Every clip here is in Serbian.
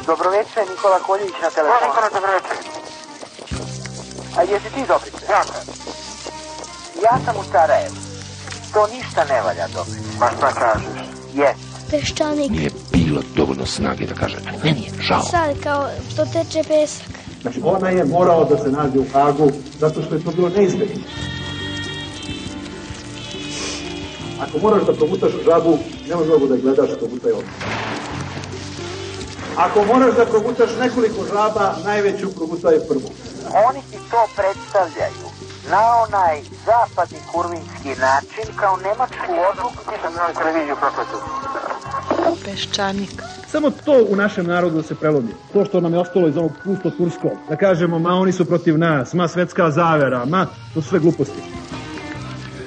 Dobroveče, Nikola Koljević na telefonu. Nikola, dobroveče. A jesi ti Dobrice? Ja sam. Ja sam u Sarajevu. To ništa ne valja, Dobrice. Ma šta kažeš? Jest. Peščanik. Nije bilo dovoljno snage da kaže, meni je žao. Sad kao to teče pesak. Znači ona je morao da se nađe u Hagu zato što je to bilo neizbježno. Ako moraš da progutaš žabu, nema mnogo da gledaš, progutaj ovdje. Ako moraš da progutaš nekoliko žaba, najveću progutaj prvu. Oni ti to predstavljaju na onaj zapadni kurvinski način kao nemačku odluku. Nisam na televiziju prokletu. Peščanik. Samo to u našem narodu da se prelomi. To što nam je ostalo iz onog pusto-turskog. Da kažemo, ma oni su protiv nas, ma svetska zavera, ma to su sve gluposti.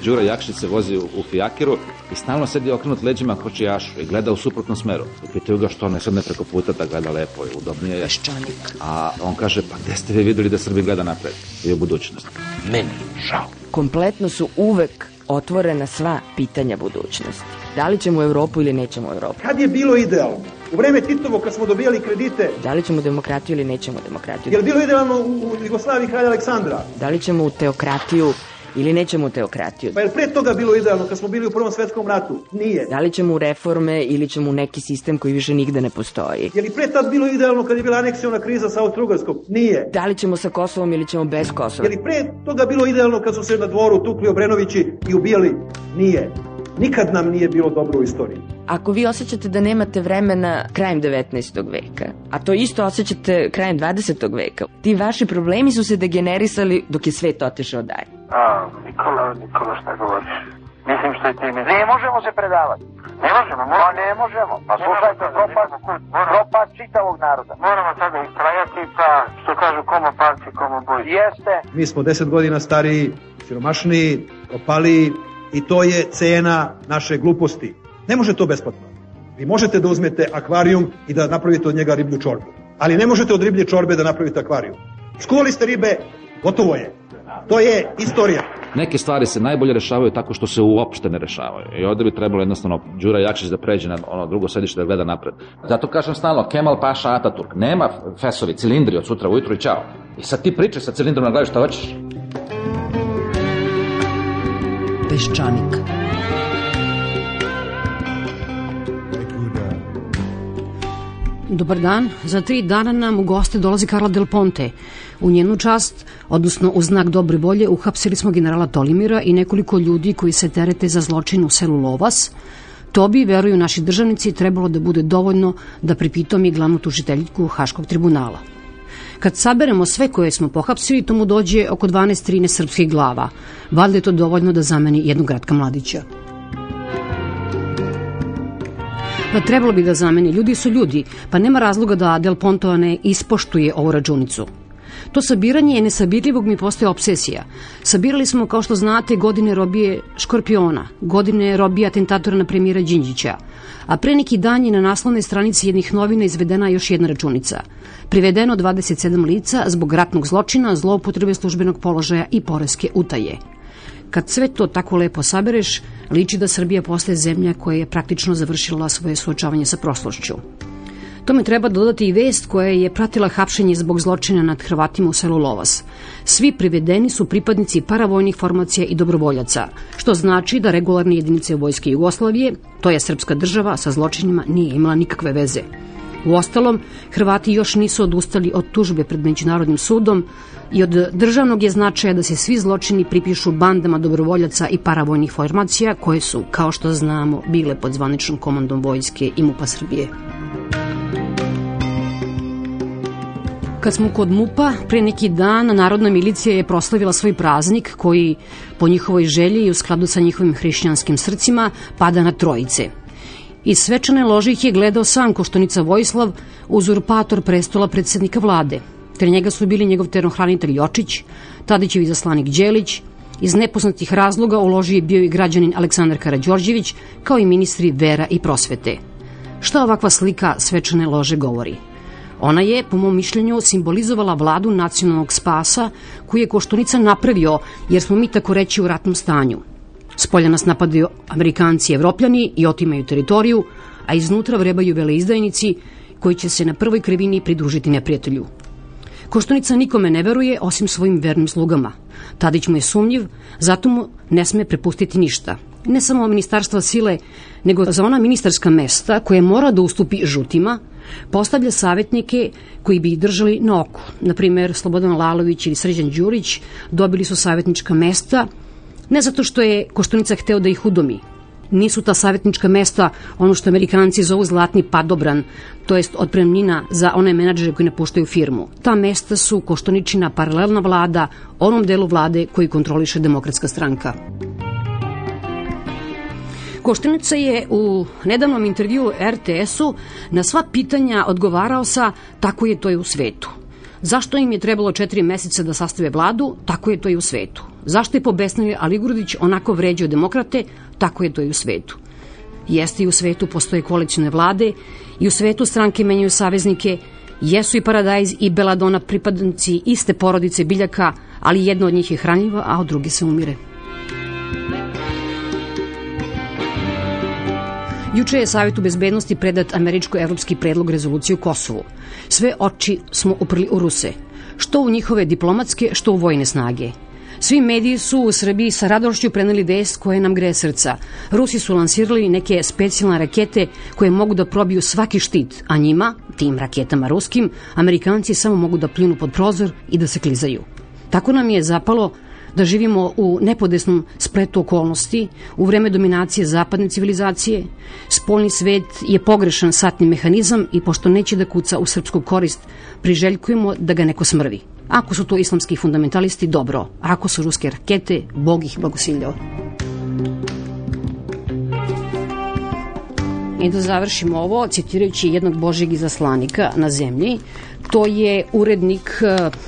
Đura Jakšić se vozi u fijakiru i stalno sedi okrenut leđima kočijašu i gleda u suprotnom smeru. I pitaju ga što ne sedne preko puta da gleda lepo i udobnije je. Peščanik. A on kaže, pa gde ste vi videli da Srbija gleda napred i u budućnost? Meni žao. Kompletno su uvek otvorena sva pitanja budućnosti. Da li ćemo u Evropu ili nećemo u Evropu? Kad je bilo idealno? U vreme Titovo kad smo dobijali kredite. Da li ćemo demokratiju ili nećemo demokratiju? Je li bilo idealno u Jugoslaviji kralja Aleksandra? Da li ćemo u teokratiju ili nećemo u teokratiju? Pa je li pre toga bilo idealno kad smo bili u Prvom svetskom ratu? Nije. Da li ćemo u reforme ili ćemo u neki sistem koji više nigde ne postoji? Je li pre tad bilo idealno kad je bila aneksiona kriza sa Austro-Ugarskom? Nije. Da li ćemo sa Kosovom ili ćemo bez Kosova? Je li pre toga bilo idealno kad su se na dvoru tukli Obrenovići i ubijali? Nije. Nikad nam nije bilo dobro u istoriji. Ako vi osjećate da nemate vremena krajem 19. veka, a to isto osjećate krajem 20. veka, ti vaši problemi su se degenerisali dok je svet otišao dalje. Nikola, šta govoriš? Mislim što je ti mi... Ne možemo se predavati. Ne možemo, Pa ne možemo. Pa slušajte, propast čitavog naroda. Moramo sada istrajati, pa što kažu komo parci, komo boj. Jeste. Mi smo 10 godina stariji, siromašniji, opaliji i to je cena naše gluposti. Ne može to besplatno. Vi možete da uzmete akvarijum i da napravite od njega riblju čorbu. Ali ne možete od riblje čorbe da napravite akvarijum. Skuvali ste ribe, gotovo je. To je istorija. Neke stvari se najbolje rešavaju tako što se uopšte ne rešavaju. I ovde bi trebalo jednostavno Đura Jakšić da pređe na ono drugo sedište da gleda napred. Zato kažem stalno, Kemal Paša Ataturk. Nema fesovi, cilindri od sutra ujutru i čao. I sad ti pričaj sa cilindrom na glavi šta hoćeš. Peščanik. Dobar dan. Za 3 dana nam u goste dolazi Karla Del Ponte. U njenu čast, odnosno u znak dobre volje, uhapsili smo generala Tolimira i nekoliko ljudi koji se terete za zločin u selu Lovas. To bi, veruju naši državnici, trebalo da bude dovoljno da pripitomi glavnu tužiteljku Haškog tribunala. Kad saberemo sve koje smo pohapsili, to mu dođe oko 12-13 srpskih glava. Valjda je to dovoljno da zameni jednog Ratka Mladića. Pa trebalo bi da zameni. Ljudi su ljudi, pa nema razloga da Del Ponto ne ispoštuje ovu računicu. To sabiranje nesabirljivog mi postaje obsesija. Sabirali smo, kao što znate, godine robije Škorpiona, godine robije atentatora na premijera Đinđića, a pre neki dan je na naslovnoj stranici jednih novina izvedena još jedna računica. Privedeno 27 lica zbog ratnog zločina, zloupotrebe službenog položaja i poreske utaje. Kad sve to tako lepo sabereš, liči da Srbija postaje zemlja koja je praktično završila svoje suočavanje sa prošlošću. Tome treba dodati i vest koja je pratila hapšenje zbog zločina nad Hrvatima u selu Lovas. Svi privedeni su pripadnici paravojnih formacija i dobrovoljaca, što znači da regularne jedinice vojske Jugoslavije, to je srpska država, sa zločinima nije imala nikakve veze. Uostalom, Hrvati još nisu odustali od tužbe pred Međunarodnim sudom i od državnog je značaja da se svi zločini pripišu bandama dobrovoljaca i paravojnih formacija koje su, kao što znamo, bile pod zvaničnom komandom vojske i MUP-a Srbije. Kad smo kod MUP-a, pre neki dan Narodna milicija je proslavila svoj praznik koji, po njihovoj želji i u skladu sa njihovim hrišćanskim srcima, pada na Trojice. Iz svečane lože ih je gledao sam Koštunica Vojislav, uzurpator prestola predsednika vlade. Ter njega su bili njegov terohranitelj Jočić, Tadićev izaslanik Đelić. Iz nepoznatih razloga u loži je bio i građanin Aleksandar Karađorđević, kao i ministri vera i prosvete. Šta ovakva slika svečane lože govori? Ona je, po mom mišljenju, simbolizovala vladu nacionalnog spasa koju je Koštunica napravio, jer smo mi tako reći u ratnom stanju. Spolja nas napadaju Amerikanci i Evropljani i otimaju teritoriju, a iznutra vrebaju veleizdajnici koji će se na prvoj krivini pridružiti neprijatelju. Koštunica nikome ne veruje osim svojim vernim slugama. Tadić mu je sumnjiv, zato mu ne sme prepustiti ništa. Ne samo ministarstva sile, nego za ona ministarska mesta koje mora da ustupi žutima, postavlja savjetnike koji bi ih držali na oku. Naprimer, Slobodan Lalović ili Srđan Đurić dobili su savjetnička mesta, ne zato što je Koštunica hteo da ih udomi. Nisu ta savjetnička mesta ono što Amerikanci zovu zlatni padobran, to jest otpremnina za one menadžere koji napuštaju firmu. Ta mesta su Koštuničina paralelna vlada, onom delu vlade koji kontroliše Demokratska stranka. Koštunica je u nedavnom intervjuu RTS-u na sva pitanja odgovarao sa tako je to i u svetu. Zašto im je trebalo 4 meseca da sastave vladu? Tako je to i u svetu. Zašto je pobesnili Aligrudić onako vređao demokrate? Tako je to i u svetu. Jeste i u svetu postoje koalicijne vlade i u svetu stranke menjaju saveznike, jesu i Paradajz i Beladona pripadnici iste porodice biljaka, ali jedna od njih je hranjiva, a od druge se umire. Juče je Savetu bezbednosti predat američko-evropski predlog rezolucije u Kosovu. Sve oči smo uprli u Ruse, što u njihove diplomatske, što u vojne snage. Svi mediji su u Srbiji sa radošću preneli vest koja nam greje srca. Rusi su lansirali neke specijalne rakete koje mogu da probiju svaki štit, a njima, tim raketama ruskim, Amerikanci samo mogu da pljunu pod prozor i da se klizaju. Tako nam je zapalo da živimo u nepodesnom spletu okolnosti, u vreme dominacije zapadne civilizacije. Spoljni svet je pogrešan satni mehanizam i pošto neće da kuca u srpsku korist, priželjkujemo da ga neko smrvi. Ako su to islamski fundamentalisti, dobro. A ako su ruske rakete, Bog ih blagosiljao. I da završimo ovo, citirajući jednog Božjeg izaslanika na zemlji. To je urednik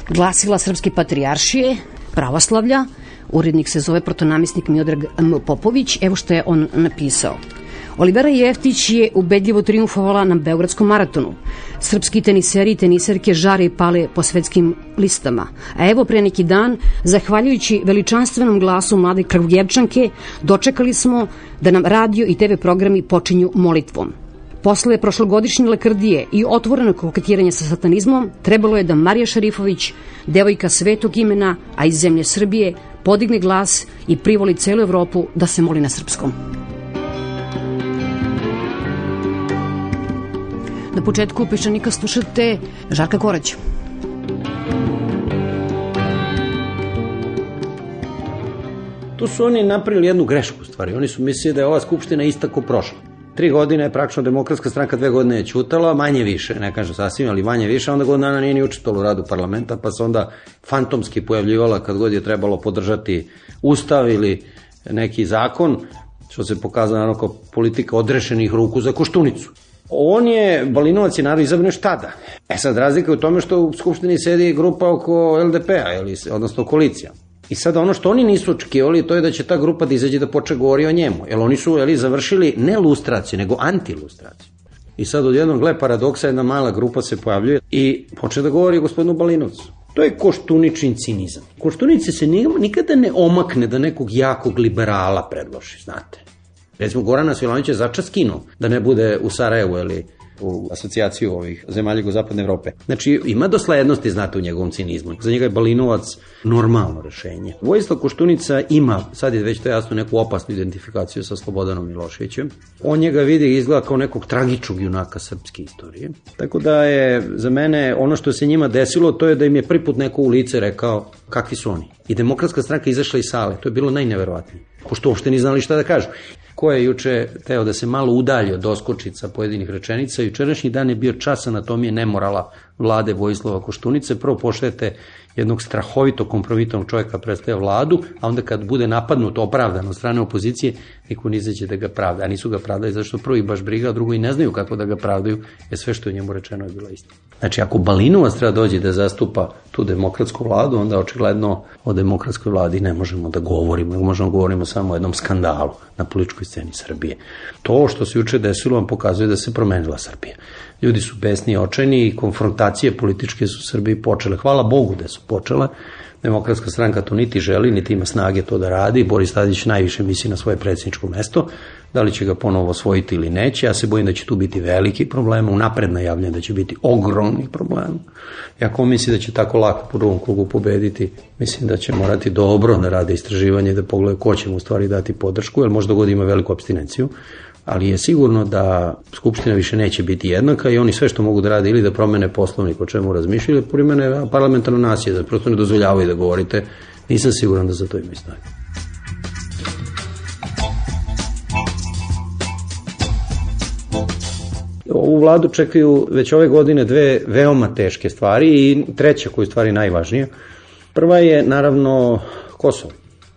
glasila Srpske patrijaršije, pravoslavlja. Urednik se zove protonamisnik Miodrag M. Popović. Evo što je on napisao. Olivera Jeftić je ubedljivo triumfovala na Beogradskom maratonu. Srpski teniseri i teniserke žare i pale po svetskim listama. A evo pre neki dan, zahvaljujući veličanstvenom glasu mlade Kragujevčanke, dočekali smo da nam radio i TV programi počinju molitvom. Posle prošlogodišnje lakrdije i otvorenog koketiranja sa satanizmom, trebalo je da Marija Šarifović, devojka svetog imena, a iz zemlje Srbije, podigne glas i privoli celu Evropu da se moli na srpskom. Na početku Peščanika slušate Žarka Koraća. Tu su oni napravili jednu grešku u stvari. Oni su mislili da je ova skupština ista ko prošla. 3 godine je praktično Demokratska stranka, 2 godine je ćutala, manje više, ne kažem sasvim, ali manje više, onda godina dana nije ni učestvovala u radu parlamenta, pa se onda fantomski pojavljivala kad god je trebalo podržati ustav ili neki zakon, što se pokazano naravno kao politika odrešenih ruku za Koštunicu. On je, Balinovac je naravno izabran još tada. Sad razlika je u tome što u Skupštini sedi grupa oko LDP-a, odnosno koalicija. I sada ono što oni nisu očekivali, to je da će ta grupa da izađe da počne govori o njemu. Jer oni su završili ne lustraciju, nego antilustraciju. I sad od jednog gle paradoksa jedna mala grupa se pojavljuje i počne da govori o gospodinu Balinovcu. To je Koštuničin cinizam. Koštunici se nikada ne omakne da nekog jakog liberala predloži, znate. Recimo, Gorana Svilanović je začas skinuo da ne bude u Sarajevu ili u asocijaciju ovih zemalja Jugozapadne Evrope. Znači, ima doslednosti, znate, u njegovom cinizmu. Za njega je Balinovac normalno rešenje. Vojislav Koštunica ima, sad je već to jasno, neku opasnu identifikaciju sa Slobodanom Miloševićem. On njega vidi i izgleda kao nekog tragičnog junaka srpske istorije. Tako da je za mene ono što se njima desilo, to je da im je prvi put neko u lice rekao kakvi su oni. I Demokratska stranka izašla iz sale. To je bilo najneverovatnije. Pošto uopšte ni znali šta da kažu. Ko je juče teo da se malo udalji od doskočica pojedinih rečenica, jučerašnji dan je bio čas anatomije nemorala vlade Vojislava Koštunice. Prvo pošljete jednog strahovito kompromitnog čovjeka predstavlja vladu, a onda kad bude napadnut opravdano od strane opozicije, niko ne izađe da ga pravda. A nisu ga pravdali zašto prvo i baš briga, a drugo i ne znaju kako da ga pravdaju, jer sve što je njemu rečeno je bila istina. Znači, ako Balinovac treba dođe da zastupa tu demokratsku vladu, onda očigledno o demokratskoj vladi ne možemo da govorimo, možemo da govorimo samo o jednom skandalu na političkoj sceni Srbije. To što se juče desilo vam pokazuje da se promenila Srbija. Ljudi su besni i očajni i konfrontacije političke su u Srbiji počele. Hvala Bogu da su počele. Demokratska stranka to niti želi, niti ima snage to da radi. Boris Tadić najviše misli na svoje predsjedničko mesto. Da li će ga ponovo osvojiti ili neće? Ja se bojim da će tu biti veliki problem. Unapred najavljam da će biti ogromni problem. I ako misli da će tako lako po drugom krugu pobediti, mislim da će morati dobro da rade istraživanje, da pogledaju ko će mu u stvari dati podršku, jer možda god ima veliku apstinenciju. Ali je sigurno da Skupština više neće biti jednaka i oni sve što mogu da rade ili da promene poslovnik o čemu razmišljaju, ili primene parlamentarno nasilje, da prosto ne dozvoljavaju da govorite. Nisam siguran da za to imaju snage. Ovu vladu čekaju već ove godine dve veoma teške stvari i treća koja je stvari najvažnija. Prva je naravno Kosovo.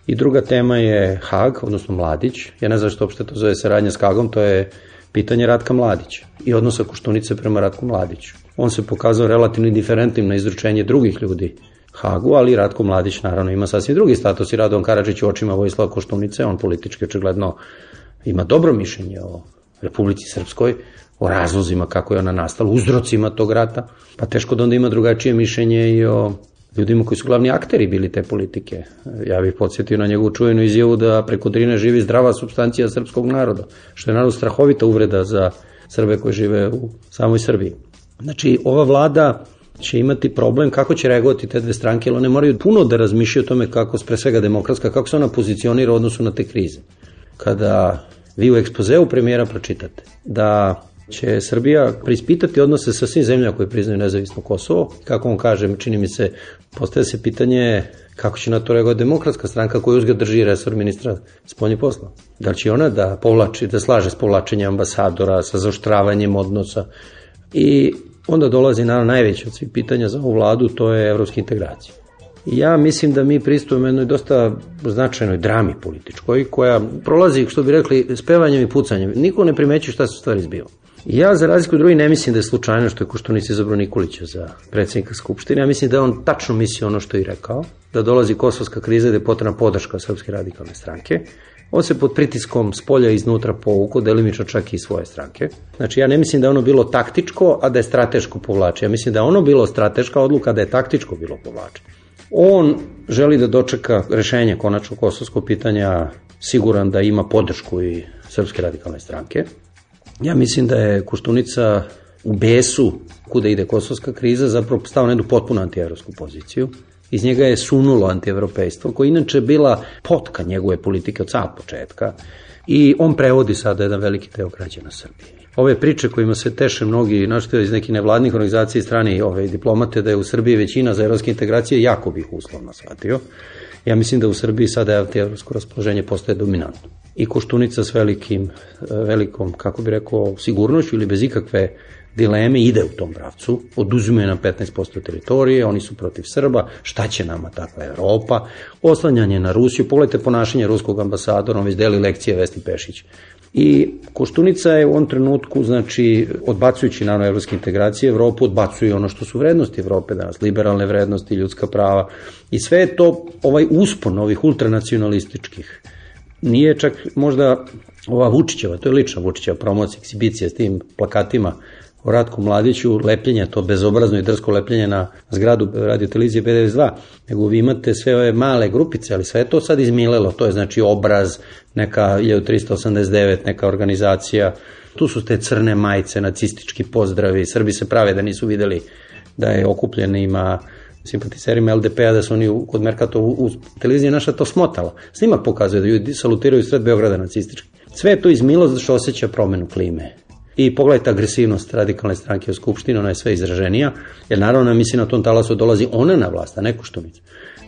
I druga tema je Hag, odnosno Mladić. Ja ne znam što uopšte to zove saradnja s Hagom, to je pitanje Ratka Mladića i odnosa Koštunice prema Ratku Mladiću. On se pokazao relativno indiferentnim na izručenje drugih ljudi Hagu, ali Ratko Mladić naravno ima sasvim drugi status i Radovan Karadžić u očima Vojislava Koštunice, on politički očigledno ima dobro mišljenje o Republici Srpskoj, o razlozima kako je ona nastala, uzrocima tog rata, pa teško da onda ima drugačije mišljenje i o ljudima koji su glavni akteri bili te politike. Ja bih podsjetio na njegovu čuvenu izjavu da preko Drine živi zdrava supstancija srpskog naroda, što je naravno strahovita uvreda za Srbe koji žive u samoj Srbiji. Znači, ova vlada će imati problem kako će reagovati te dve stranke, jer one moraju puno da razmišljaju o tome kako, pre svega demokratska, kako se ona pozicionira u odnosu na te krize. Kada vi u ekspozeu premijera pročitate da će Srbija preispitati odnose sa svim zemljama koje priznaju nezavisno Kosovo. Kako on kaže, čini mi se, postaje se pitanje kako će na to reagovati demokratska stranka koja uzgled drži resor ministra spoljnih poslova. Da li će ona da povlači, da slaže s povlačenjem ambasadora, sa zaoštravanjem odnosa. I onda dolazi naravno najveće od svih pitanja za ovu vladu, to je evropske integracije. Ja mislim da mi pristupujemo jednoj dosta značajnoj drami političkoj koja prolazi, što bi rekli, spevanjem i pucanjem. Niko ne primećuje šta se stvari zbiva. Ja, za razliku od drugih, ne mislim da je slučajno što je Koštunica izabrao Nikolića za predsjednika Skupštine. Ja mislim da je on tačno mislio ono što je rekao, da dolazi kosovska kriza, da je potrebna podrška Srpske radikalne stranke. On se pod pritiskom spolja i iznutra povukao, delimično čak i svoje stranke. Znači, ja ne mislim da je ono bilo taktičko, a da je strateško povlačenje. Ja mislim da je ono bilo strateška odluka, da je taktičko bilo povlačenje. On želi da dočeka rešenje konačno kosovskog pitanja, siguran da ima podršku i Srpske radikalne stranke. Ja mislim da je Koštunica u besu kuda ide kosovska kriza zapravo stao na jednu potpuno antievropsku poziciju. Iz njega je sunulo antievropejstvo, koje inače bila potka njegove politike od samog početka i on prevodi sada jedan veliki deo građana Srbije. Ove priče kojima se teše mnogi, našto iz nekih nevladnih organizacija i strani diplomate, da je u Srbiji većina za evropske integracije, jako bih uslovno shvatio. Ja mislim da u Srbiji sada antievropsko raspoloženje postaje dominantno. I Koštunica s velikom, kako bi rekao, sigurnošću ili bez ikakve dileme ide u tom pravcu, oduzimaju nam 15% teritorije, oni su protiv Srba, šta će nama takva Evropa, oslanjanje na Rusiju, pogledajte ponašanje ruskog ambasadora, on već deli lekcije Vesni Pešić. I Koštunica je u ovom trenutku, znači, odbacujući naravno evropske integracije, Evropu odbacuje ono što su vrednosti Evrope danas, liberalne vrednosti, ljudska prava i sve je to ovaj uspon ovih ultranacionalističkih. Nije čak možda ova Vučićeva, to je lična Vučićeva promocija, eksibicija s tim plakatima o Ratku Mladiću, lepljenje, to bezobrazno i drsko lepljenje na zgradu radiotelevizije B92, nego vi imate sve ove male grupice, ali sve je to sad izmilelo, to je znači Obraz, neka 1389, neka organizacija, tu su te crne majice, nacistički pozdravi, Srbi se prave da nisu videli da je okupljenima simpatiserima LDP-a, da su oni kod Merkatova u televiziji naša to smotala. Snimak pokazuje da ljudi salutiraju sred Beograda nacistički. Sve je to izmilo zato što osjeća promenu klime. I pogledajte agresivnost radikalne stranke u Skupštini, ona je sve izraženija, jer naravno misli na tom talasu dolazi ona na vlast, a ne Koštunica.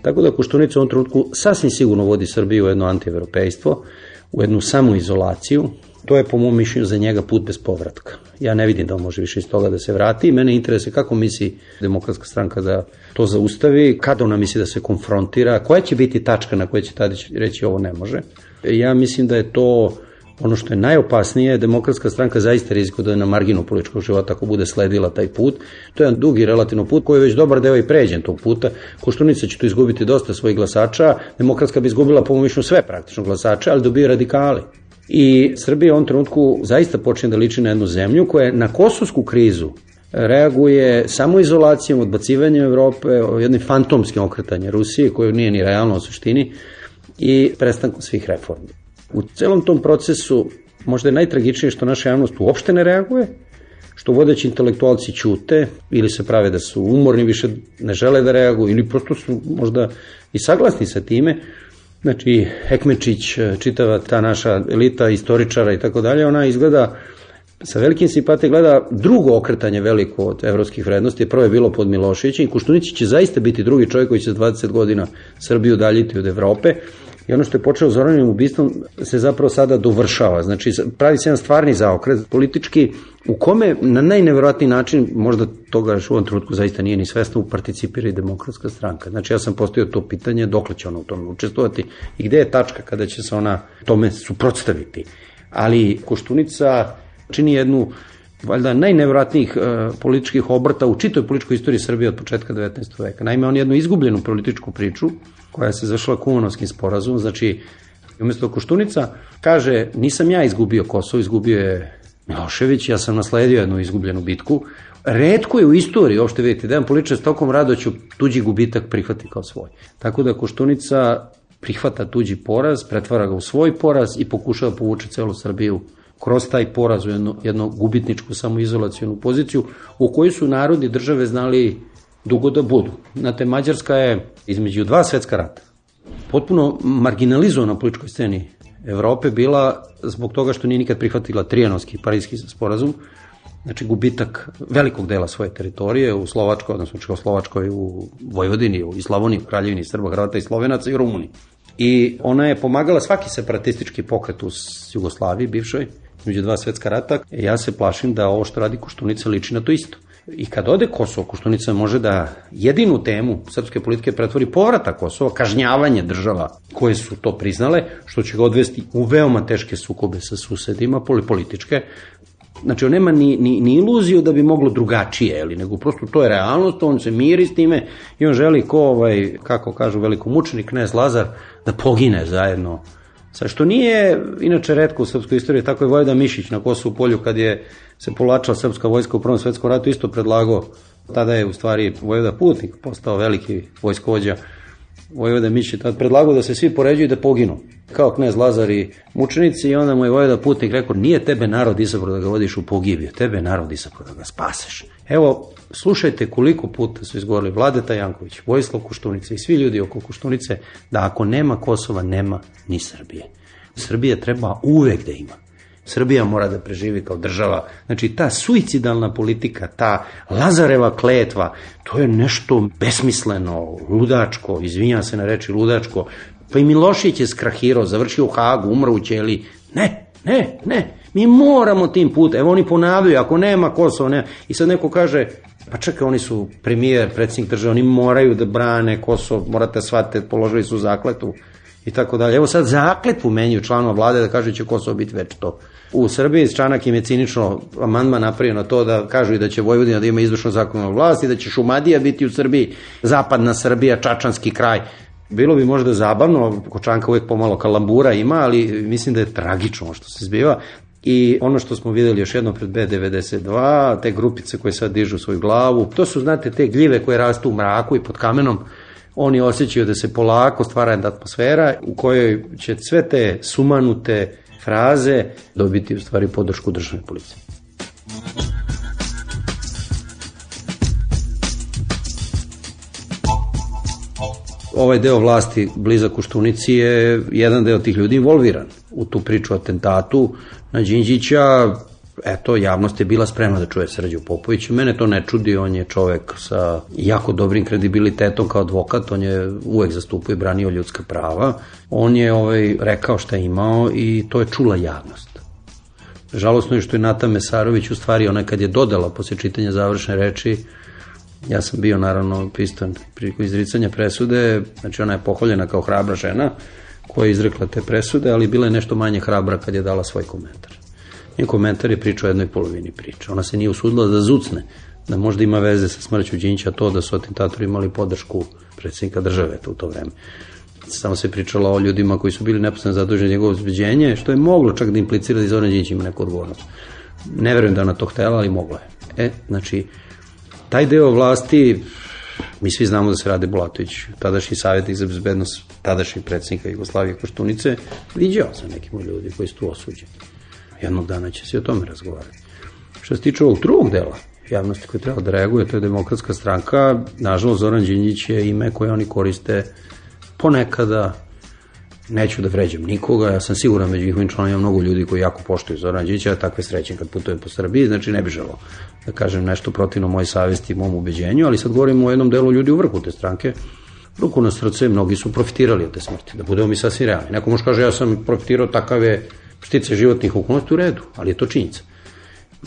Tako da Koštunica u ovom trenutku sasvim sigurno vodi Srbiju u jedno antievropejstvo, u jednu samoizolaciju. To je po mom mišljenju za njega put bez povratka. Ja ne vidim da on može više iz toga da se vrati i mene interesuje kako misli Demokratska stranka da to zaustavi, kada ona misli da se konfrontira, koja će biti tačka na kojoj će Tadić reći ovo ne može. Ja mislim da je to ono što je najopasnije, Demokratska stranka zaista rizikuje da je na marginu političkog života ako bude sledila taj put. To je jedan dugi relativno put koji je već dobar deo i pređen tog puta. Koštunica će tu izgubiti dosta svojih glasača, Demokratska bi izgubila po mom mišljenju sve praktično glasača, ali dobije radikali. I Srbija u ovom trenutku zaista počne da liči na jednu zemlju koja je na kosovsku krizu reaguje samoizolacijom, odbacivanjem Evrope, jednim fantomskim okretanjem Rusije, koje nije ni realno u suštini, i prestankom svih reformi. U celom tom procesu možda je najtragičnije što naša javnost uopšte ne reaguje, što vodeći intelektualci ćute ili se prave da su umorni, više ne žele da reaguju ili prosto su možda i saglasni sa time. Znači, Ekmečić, čitava ta naša elita istoričara i tako dalje, ona izgleda sa velikim simpatijom, gleda drugo okretanje veliko od evropskih vrednosti. Prvo je bilo pod Miloševićem i Koštunić će zaista biti drugi čovjek koji će 20 godina Srbiju udaljiti od Evrope. I ono što je počeo Zoranovim ubistvom se zapravo sada dovršava. Znači, pravi se jedan stvarni zaokret politički u kome na najneverovatniji način, možda toga još u ovom trenutku zaista nije ni svesno, participira i Demokratska stranka. Znači, ja sam postavio to pitanje dokle će ona u tome učestvovati i gde je tačka kada će se ona tome suprotstaviti. Ali Koštunica čini jednu valjda najneverovatnijih političkih obrta u čitoj političkoj istoriji Srbije od početka 19. veka. Naime, on je jednu izgubljenu političku priču koja se završila Kumanovskim sporazumom. Znači, umjesto Koštunica kaže, nisam ja izgubio Kosovo, izgubio je Milošević, ja sam nasledio jednu izgubljenu bitku. Retko je u istoriji, uopšte vidite, da jedan političar s tokom rado ću tuđi gubitak prihvati kao svoj. Tako da Koštunica prihvata tuđi poraz, pretvara ga u svoj poraz i pokušava povući celu Srbiju kroz taj poraz u jednu gubitničku samoizolacijonu poziciju u kojoj su narodi države znali dugo da budu. Znate, Mađarska je između dva svetska rata potpuno marginalizovana na političkoj sceni Evrope bila zbog toga što nije nikad prihvatila Trijanonski i Pariski sporazum, znači gubitak velikog dela svoje teritorije u Slovačkoj, odnosno Čehoslovačkoj, u Vojvodini, u Slavoniji, u Kraljevini Srba, Hrvata i Slovenaca i Rumuniji. I ona je pomagala svaki separatistički pokret u Jugoslaviji, bivšoj, između dva svetska rata. Ja se plašim da ovo što radi Koštunica liči na to isto. I kad ode Kosovo, Koštunica može da jedinu temu srpske politike pretvori povratak Kosova, kažnjavanje država koje su to priznale, što će ga odvesti u veoma teške sukobe sa susedima, političke. Znači, on nema ni iluziju da bi moglo drugačije, nego prosto to je realnost, on se miri s time i on želi kako kažu velikomučenik knez Lazar, da pogine zajedno. Sa što nije, inače, retko u srpskoj istoriji, tako je Vojvoda Mišić na Kosovu polju kad je se povlačila srpska vojska u Prvom svetskom ratu, isto predlagao, tada je u stvari Vojvoda Putnik postao veliki vojskovođa. Vojvoda Mišić je tada predlagao da se svi poređuju i da poginu, kao knez Lazar i mučenici, i onda mu je Vojvoda Putnik rekao, nije tebe narod izabrao da ga vodiš u pogibiju, tebe je narod izabrao da ga spaseš. Evo, slušajte koliko puta su izgovorili Vladeta Janković, Vojislav Koštunica i svi ljudi oko Koštunice, da ako nema Kosova, nema ni Srbije. Srbija treba uvek da ima. Srbija mora da preživi kao država. Znači, ta suicidalna politika, ta Lazareva kletva, to je nešto besmisleno, ludačko, izvinjam se na reči ludačko. Pa i Milošević je skrahirao, završio u Hagu, umro u ćeliji. Ne. Mi moramo tim putem. Evo oni ponavljaju, ako nema Kosova, nema. I sad neko kaže, pa čekaj, oni su premijer, predsjednik države, oni moraju da brane Kosovo, morate shvatiti, položili su zakletvu i tako dalje. Evo sad zakletvu menjuju članova vlade da kaže će Kosovo biti večito. U Srbiji Čanak im je cinično amandman napravio na to da kažu i da će Vojvodina da ima izvršnu zakonodavnu vlast i da će Šumadija biti u Srbiji, zapadna Srbija, Čačanski kraj. Bilo bi možda zabavno, Kočanka uvijek pomalo kalambura ima, ali mislim da je tragično što se zbiva. I ono što smo videli još jednom pred B92, te grupice koje sad dižu svoju glavu, to su, znate, te gljive koje rastu u mraku i pod kamenom. Oni osjećaju da se polako stvara jedna atmosfera u kojoj će sve te sumanute fraze dobiti u stvari podršku državne policije. Ovaj deo vlasti blizak Koštunici je jedan deo tih ljudi involviran u tu priču o atentatu na Đinđića. Eto, javnost je bila spremna da čuje Srđu Popovića. Mene to ne čudi, on je čovek sa jako dobrim kredibilitetom kao advokat, on je uvek zastupao i branio ljudska prava. On je rekao šta je imao i to je čula javnost. Žalosno je što je Nata Mesarović, u stvari ona kad je dodala posle čitanja završne reči, ja sam bio naravno prisutan prilikom izricanja presude, znači ona je pohvaljena kao hrabra žena koja je izrekla te presude, ali bila je nešto manje hrabra kad je dala svoj komentar. Njen komentar je priča o jednoj polovini priče. Ona se nije usudila da zucne, da možda ima veze sa smrću Đinđića to da su atentatori imali podršku predsjednika države u to vreme. Samo se pričalo o ljudima koji su bili neposredno zaduženi njegovo obezbeđenje, što je moglo čak da implicira da i Zoran Đinđić ima neku odgovornost. Ne verujem da ona to htela, ali mogla je. Znači, taj deo vlasti, mi svi znamo da se Rade Bulatović, tadašnji savjetnik za bezbednost, tadašnji predsjednika Jugoslavije Koštunice, viđao sa nekim ljudi koji su tu osuđeni. Jednog dana će se o tome razgovarati. Što se tiče ovog drugog dela javnosti koji treba da reaguje, to je Demokratska stranka. Nažalost, Zoran Đinđić je ime koje oni koriste ponekada, neću da vređam nikoga, ja sam siguran među njihovim članovima mnogo ljudi koji jako poštuju Zoran Đinđića, takve srećem kad putujem po Srbiji, znači ne bi želeo da kažem nešto protivno moje savesti i mom ubeđenju, ali sad govorimo o jednom delu ljudi u vrhu te stranke. Ruku na srce, mnogi su profitirali od te smrti, da budemo mi sasvim realni. Neko može kaže ja sam profitirao, takav je štice životnih okolnosti, u redu, ali je to činjenica.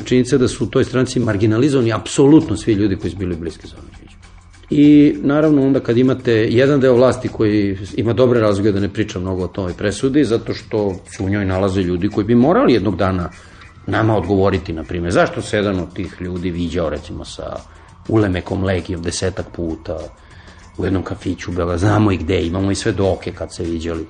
Činjenica je da su u toj stranci marginalizovani apsolutno svi ljudi koji su bili bliski Zoran Đinđiću. I naravno onda kad imate jedan deo vlasti koji ima dobre razloge da ne priča mnogo o toj presudi, zato što su u njoj nalaze ljudi koji bi morali jednog dana nama odgovoriti, na primjer, zašto se jedan od tih ljudi viđao recimo sa Ulemekom Legijom 10 puta u jednom kafiću, znamo i gde, imamo i svedoke kad se viđali.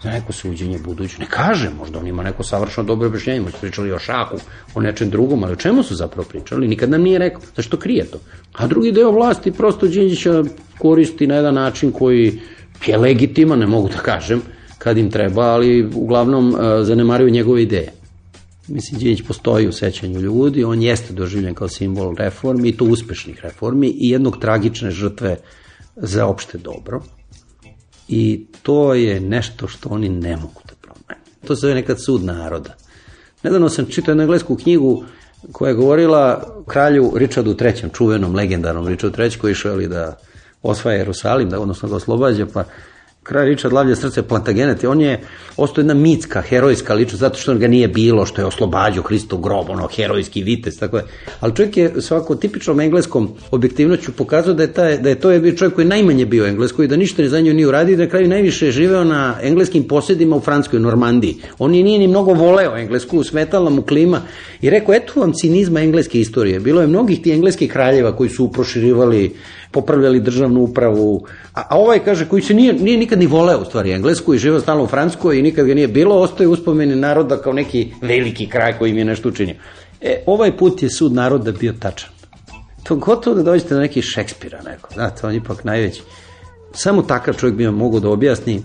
Za neko suđenje buduće, ne kaže, možda on ima neko savršeno dobro objašnjenje, možda pričali o šahu, o nečem drugom, ali o čemu su zapravo pričali, nikad nam nije rekao, zašto krije to. A drugi deo vlasti prosto Đinđića koristi na jedan način koji je legitiman, ne mogu da kažem, kad im treba, ali uglavnom zanemaruju njegove ideje. Mislim, Đinđić postoji u sećanju ljudi, on jeste doživljen kao simbol reformi, i to uspešnih reformi, i jednog tragične žrtve za opšte dobro. I to je nešto što oni ne mogu da promene. To se zove nekad sud naroda. Nedavno sam čitao jednu englesku knjigu koja je govorila o kralju Richardu III, čuvenom, legendarnom Richardu III, koji je išao da osvaja Jerusalim, odnosno da oslobađa, pa kralj Richard lavlja srce Plantagenet, on je ostao jedna mitska, herojska ličnost, zato što ga nije bilo, što je oslobađao Hristov grob, herojski vitez, tako je. Ali čovjek je svako tipičnom engleskom objektivnoću pokazao da je to bio čovjek koji najmanje bio engleskoj, da ništa za nju nije uradio, da na kraju najviše je živeo na engleskim posjedima u Francuskoj, Normandiji. On nije ni mnogo voleo englesku, smetala mu klima i rekao, eto vam cinizma engleske istorije. Bilo je mnogih ti engleskih kraljeva koji su proširivali, popravljali državnu upravu, a ovaj, kaže, koji se nije nikad ni voleo u stvari englesku i živeo stalno u Francuskoj i nikad ga nije bilo, ostaje uspomeni naroda kao neki veliki kraj koji im je nešto učinio. Ovaj put je sud naroda bio tačan. To gotovo da dođete do nekih Šekspira neko, znate, on je ipak najveći. Samo takav čovjek bi vam mogao da objasni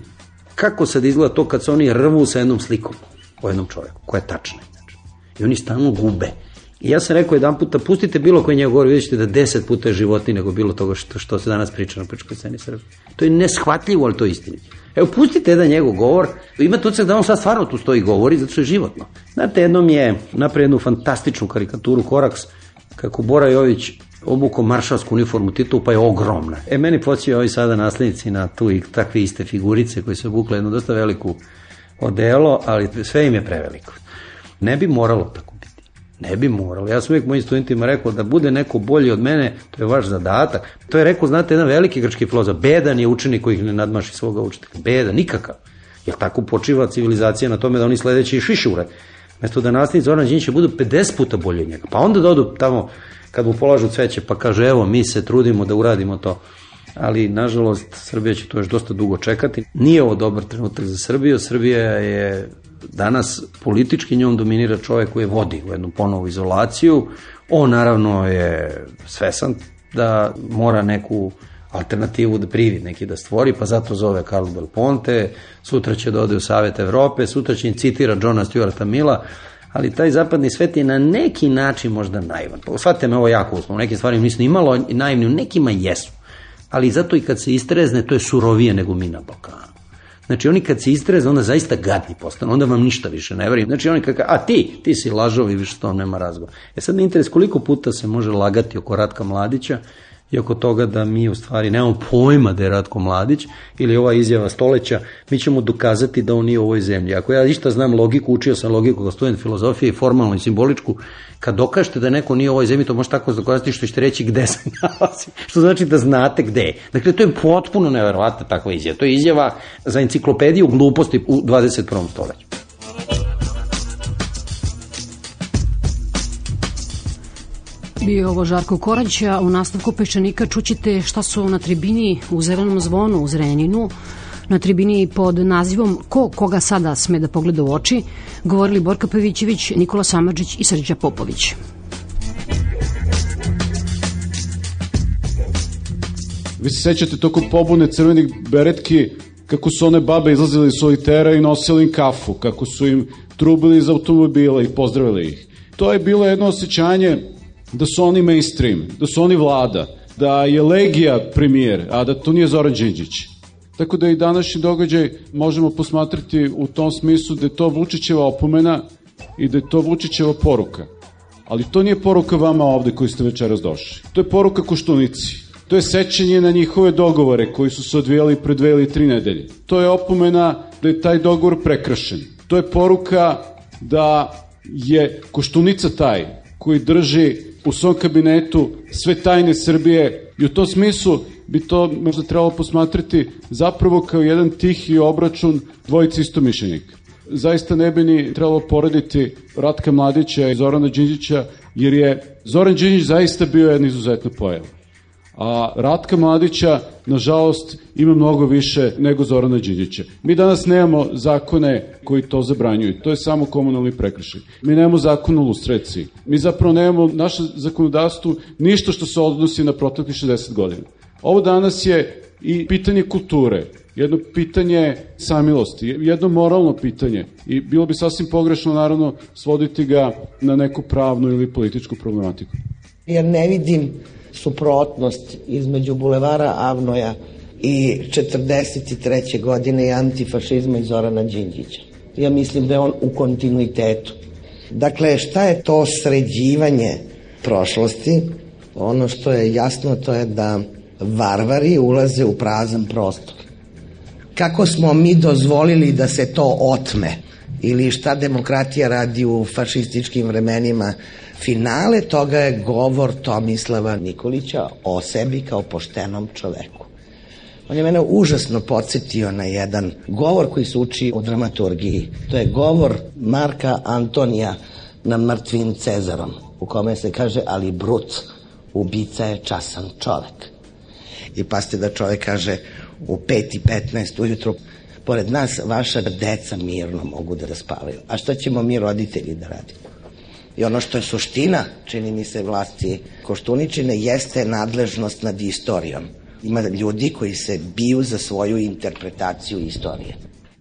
kako sad izgleda to kad se oni rvu sa jednom slikom o jednom čovjeku, koja je tačna. I oni stalno gube. I ja sam rekao jedan puta, pustite bilo koji njegov govor, vidjet ćete da 10 puta je životniji nego bilo toga što se danas priča na političkoj sceni Srbije. To je neshvatljivo, ali to je istinito. Evo, pustite jedan njegov govor, imate utisak da on sad stvarno tu stoji govori, zato što je životno. Znate, jednom je napravio jednu fantastičnu karikaturu Koraks, kako Bora Jović obukao maršalsku uniformu Titovu, pa je ogromna. Meni podsjećaju ovi sada naslednici na tu i takve iste figurice koje su obukle jednu dosta veliku odelo, ali sve im je preveliko. Ne bi moralo tako. Ne bi moralo. Ja sam uvijek mojim studentima rekao da bude neko bolji od mene, to je vaš zadatak. To je rekao, znate, jedan veliki grčki filozof. Bedan je učenik koji ne nadmaši svoga učitelja. Bedan, nikakav. Jer tako počiva civilizacija na tome da oni sledeći još više urade. Mesto da nastavnici Zoran Đinđića budu 50 puta bolji od njega. Pa onda da odu tamo kad mu polažu cveće pa kaže evo mi se trudimo da uradimo to. Ali nažalost Srbija će to još dosta dugo čekati. Nije ovo dobar trenutak za Srbiju. Srbija je danas politički, njom dominira čovjek koji je vodi u jednu ponovu izolaciju. On naravno je svesan da mora neku alternativu da privid neki da stvori, pa zato zove Carlo Del Ponte, sutra će da ode u Savet Evrope, sutra će citira Johna Stuarta Milla, ali taj zapadni svet je na neki način možda naivan. Shvatite me ovo jako uslovno, u nekim stvarima nisu imalo naivni, u nekima jesu, ali zato i kad se istrezne, to je surovije nego mi na Balkanu. Znači oni kad se istrezne, onda zaista gadni postanu, onda vam ništa više ne verujem. Znači oni kada, a ti si lažov i više s tom nema razgovora. Sad mi interes koliko puta se može lagati oko Ratka Mladića i oko toga da mi u stvari nemamo pojma da je Ratko Mladić ili ova izjava Stoleća, mi ćemo dokazati da on nije u ovoj zemlji. Ako ja išta znam logiku, učio sam logiku kao student filozofije, formalnu i simboličku, kad dokažete da neko nije u ovoj zemlji, to može tako dokazati što ćete reći gde se nalazi, što znači da znate gde je. Dakle, to je potpuno neverovatna takva izjava. To je izjava za enciklopediju gluposti u 21. stoljeću. Bio je ovo Žarko Korać, a u nastavku Peščanika čućete šta su na tribini u Zelenom zvonu u Zrenjaninu, na tribini pod nazivom Ko koga sada sme da pogleda u oči, govorili Borka Pavićević, Nikola Samardžić i Srđa Popović. Vi se sećate tokom pobune crvenih beretki, kako su one babe izlazile iz solitera i nosili im kafu, kako su im trubili iz automobila i pozdravili ih. To je bilo jedno osjećanje da su oni mainstream, da su oni vlada, da je Legija premijer, a da to nije Zoran Đinđić. Tako da i današnji događaj možemo posmatrati u tom smislu da je to Vučićeva opomena i da je to Vučićeva poruka. Ali to nije poruka vama ovde koji ste večeras došli. To je poruka Koštunici. To je sećanje na njihove dogovore koji su se odvijali pre 2 ili 3 nedelje. To je opomena da je taj dogovor prekršen. To je poruka da je Koštunica taj koji drži u svom kabinetu sve tajne Srbije i u tom smislu bi to možda trebalo posmatrati zapravo kao jedan tihi obračun dvojice istomišljenika. Zaista ne bi ni trebalo porediti Ratka Mladića i Zorana Đinđića, jer je Zoran Đinđić zaista bio jedna izuzetna pojava. A Ratka Mladića, nažalost, ima mnogo više nego Zorana Đinđića. Mi danas nemamo zakone koji to zabranjuju. To je samo komunalni prekršaj. Mi nemamo zakon o lustraciji. Mi zapravo nemamo naše zakonodavstvo ništa što se odnosi na proteklih 60 godina. Ovo danas je i pitanje kulture, jedno pitanje samilosti, jedno moralno pitanje i bilo bi sasvim pogrešno, naravno, svoditi ga na neku pravnu ili političku problematiku. Ja ne vidim suprotnost između Bulevara Avnoja i 43. godine i antifašizma i Zorana Đinđića. Ja mislim da je on u kontinuitetu. Dakle, šta je to sređivanje prošlosti? Ono što je jasno to je da varvari ulaze u prazan prostor. Kako smo mi dozvolili da se to otme? Ili šta demokratija radi u fašističkim vremenima? Finale toga je govor Tomislava Nikolića o sebi kao poštenom čoveku. On je mene užasno podsjetio na jedan govor koji se uči u dramaturgiji. To je govor Marka Antonija na mrtvim Cezarom, u kome se kaže, ali Brut, ubica je časan čovek. I pazite da čovek kaže u 5:15 ujutru, pored nas vaša deca mirno mogu da spavaju. A šta ćemo mi roditelji da radimo? I ono što je suština, čini mi se, vlasti Koštuničine, jeste nadležnost nad istorijom. Ima ljudi koji se biju za svoju interpretaciju istorije.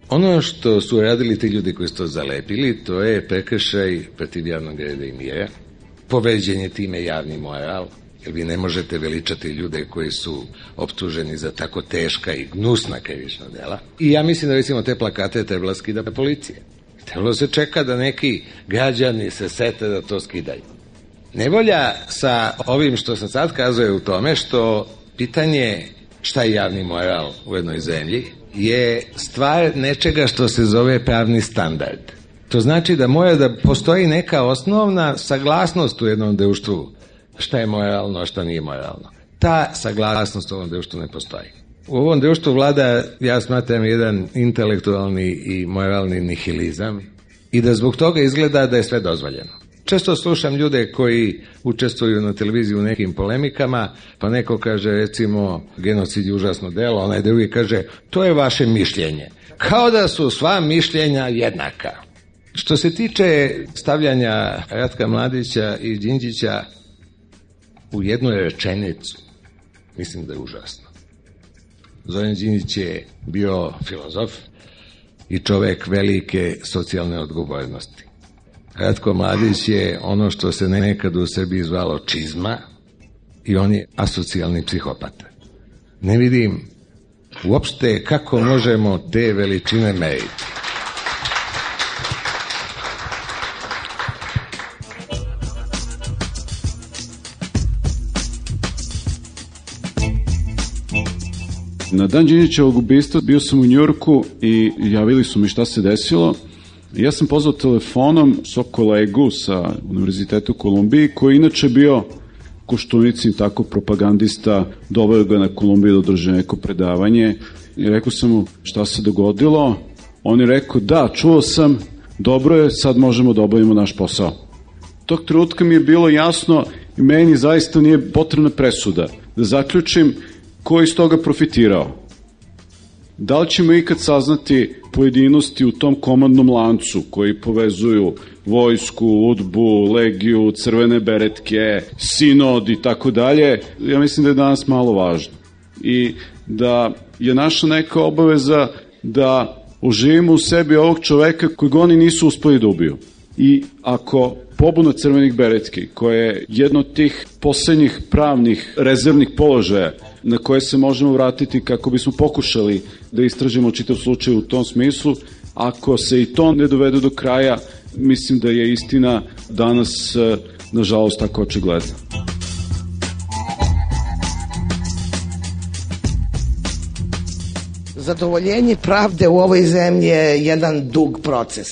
Ono što su radili ti ljudi koji su to zalepili, to je prekršaj protiv javnog reda i mira, povređen je time javni moral, jer vi ne možete veličati ljude koji su optuženi za tako teška i gnusna krivična dela. I ja mislim da, recimo, te plakate trebala skida policija. Trebalo se čeka da neki građani se sete da to skidaju. Nevolja sa ovim što sam sad kazao je u tome što pitanje šta je javni moral u jednoj zemlji je stvar nečega što se zove pravni standard. To znači da mora da postoji neka osnovna saglasnost u jednom društvu šta je moralno, a šta nije moralno. Ta saglasnost u ovom društvu ne postoji. U ovom društvu vlada, ja smatram, jedan intelektualni i moralni nihilizam i da zbog toga izgleda da je sve dozvoljeno. Često slušam ljude koji učestvuju na televiziji u nekim polemikama, pa neko kaže, recimo, genocid je užasno delo, onaj drugi kaže, to je vaše mišljenje. Kao da su sva mišljenja jednaka. Što se tiče stavljanja Ratka Mladića i Đinđića u jednu rečenicu, mislim da je užasno. Zoran Đinđić je bio filozof i čovek velike socijalne odgovornosti. Ratko Mladić je ono što se nekad u Srbiji zvalo čizma i on je asocijalni psihopata. Ne vidim uopšte kako možemo te veličine meriti. Na dan Đinđićevog ubistva bio sam u Njujorku i javili su mi šta se desilo. Ja sam pozvao telefonom svog kolegu sa Univerziteta u Kolumbiji, koji inače bio Koštunicin tako propagandista, doveo ga na Kolumbiju da održe neko predavanje i rekao sam mu šta se dogodilo. On je rekao, da, čuo sam, dobro je, sad možemo da obavimo naš posao. Tog trenutka mi je bilo jasno i meni zaista nije potrebna presuda da zaključim ko je iz toga profitirao. Da li ćemo ikad saznati pojedinosti u tom komandnom lancu koji povezuju vojsku, UDBU, Legiju, crvene beretke, sinod i tako dalje? Ja mislim da je danas malo važno. i da je naša neka obaveza da oživimo u sebi ovog čoveka kojeg oni nisu uspeli da ubiju. I ako pobuna crvenih beretki, koja je jedno od tih poslednjih pravnih rezervnih položaja na koje se možemo vratiti kako bismo pokušali da istražimo čitav slučaj u tom smislu, ako se i to ne dovede do kraja, mislim da je istina danas, nažalost, tako očigledna. Zadovoljenje pravde u ovoj zemlji je jedan dug proces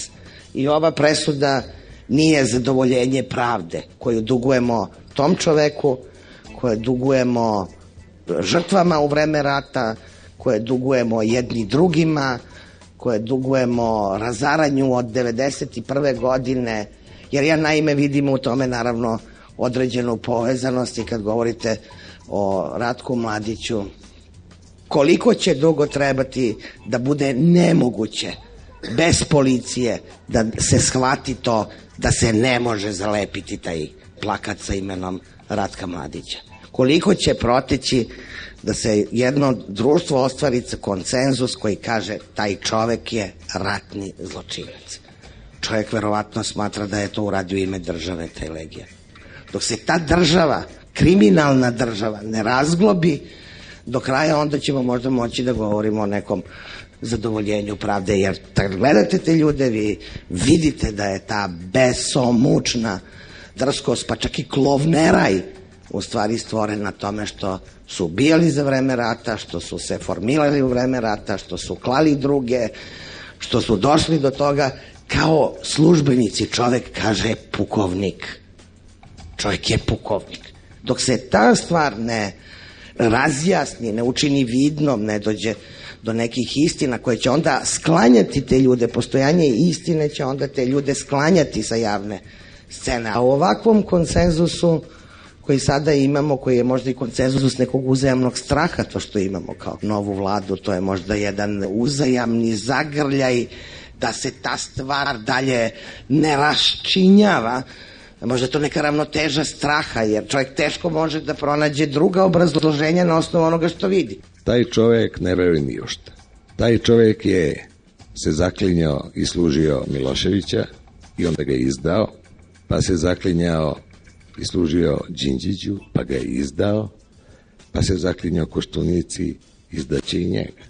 i ova presuda nije zadovoljenje pravde koju dugujemo tom čoveku, koje dugujemo žrtvama u vreme rata, koje dugujemo jedni drugima, koje dugujemo razaranju od 1991. godine, jer ja naime vidim u tome naravno određenu povezanost i kad govorite o Ratku Mladiću, koliko će dugo trebati da bude nemoguće bez policije da se shvati to da se ne može zalepiti taj plakat sa imenom Ratka Mladića. Koliko će proteći da se jedno društvo ostvari konsenzus koji kaže taj čovek je ratni zločinac. Čovek verovatno smatra da je to uradio ime države, taj Legija. Dok se ta država, kriminalna država, ne razglobi do kraja, onda ćemo možda moći da govorimo o nekom zadovoljenju pravde, jer kad gledate te ljude, vi vidite da je ta besomučna drskost, pa čak i klovneraj, u stvari stvoren na tome što su ubijali za vreme rata, što su se formirali u vreme rata, što su klali druge, što su došli do toga kao službenici. Čovek kaže pukovnik. Čovek je pukovnik. Dok se ta stvar ne razjasni, ne učini vidnom, ne dođe do nekih istina koje će onda sklanjati te ljude, postojanje istine će onda te ljude sklanjati sa javne scene. A u ovakvom konsenzusu koji sada imamo, koji je možda i konsenzus nekog uzajamnog straha, to što imamo kao novu vladu, to je možda jedan uzajamni zagrljaj da se ta stvar dalje ne raščinjava. Možda je to neka ravnoteža straha, jer čovjek teško može da pronađe druga obrazloženja na osnovu onoga što vidi. Taj čovjek ne veruje ni u šta. Taj čovjek je se zaklinjao i služio Miloševića i onda ga je izdao, pa se zaklinjao i služio Đinđiću, pa ga je izdao, pa se zaklinjao Koštunici, izdaće i njega.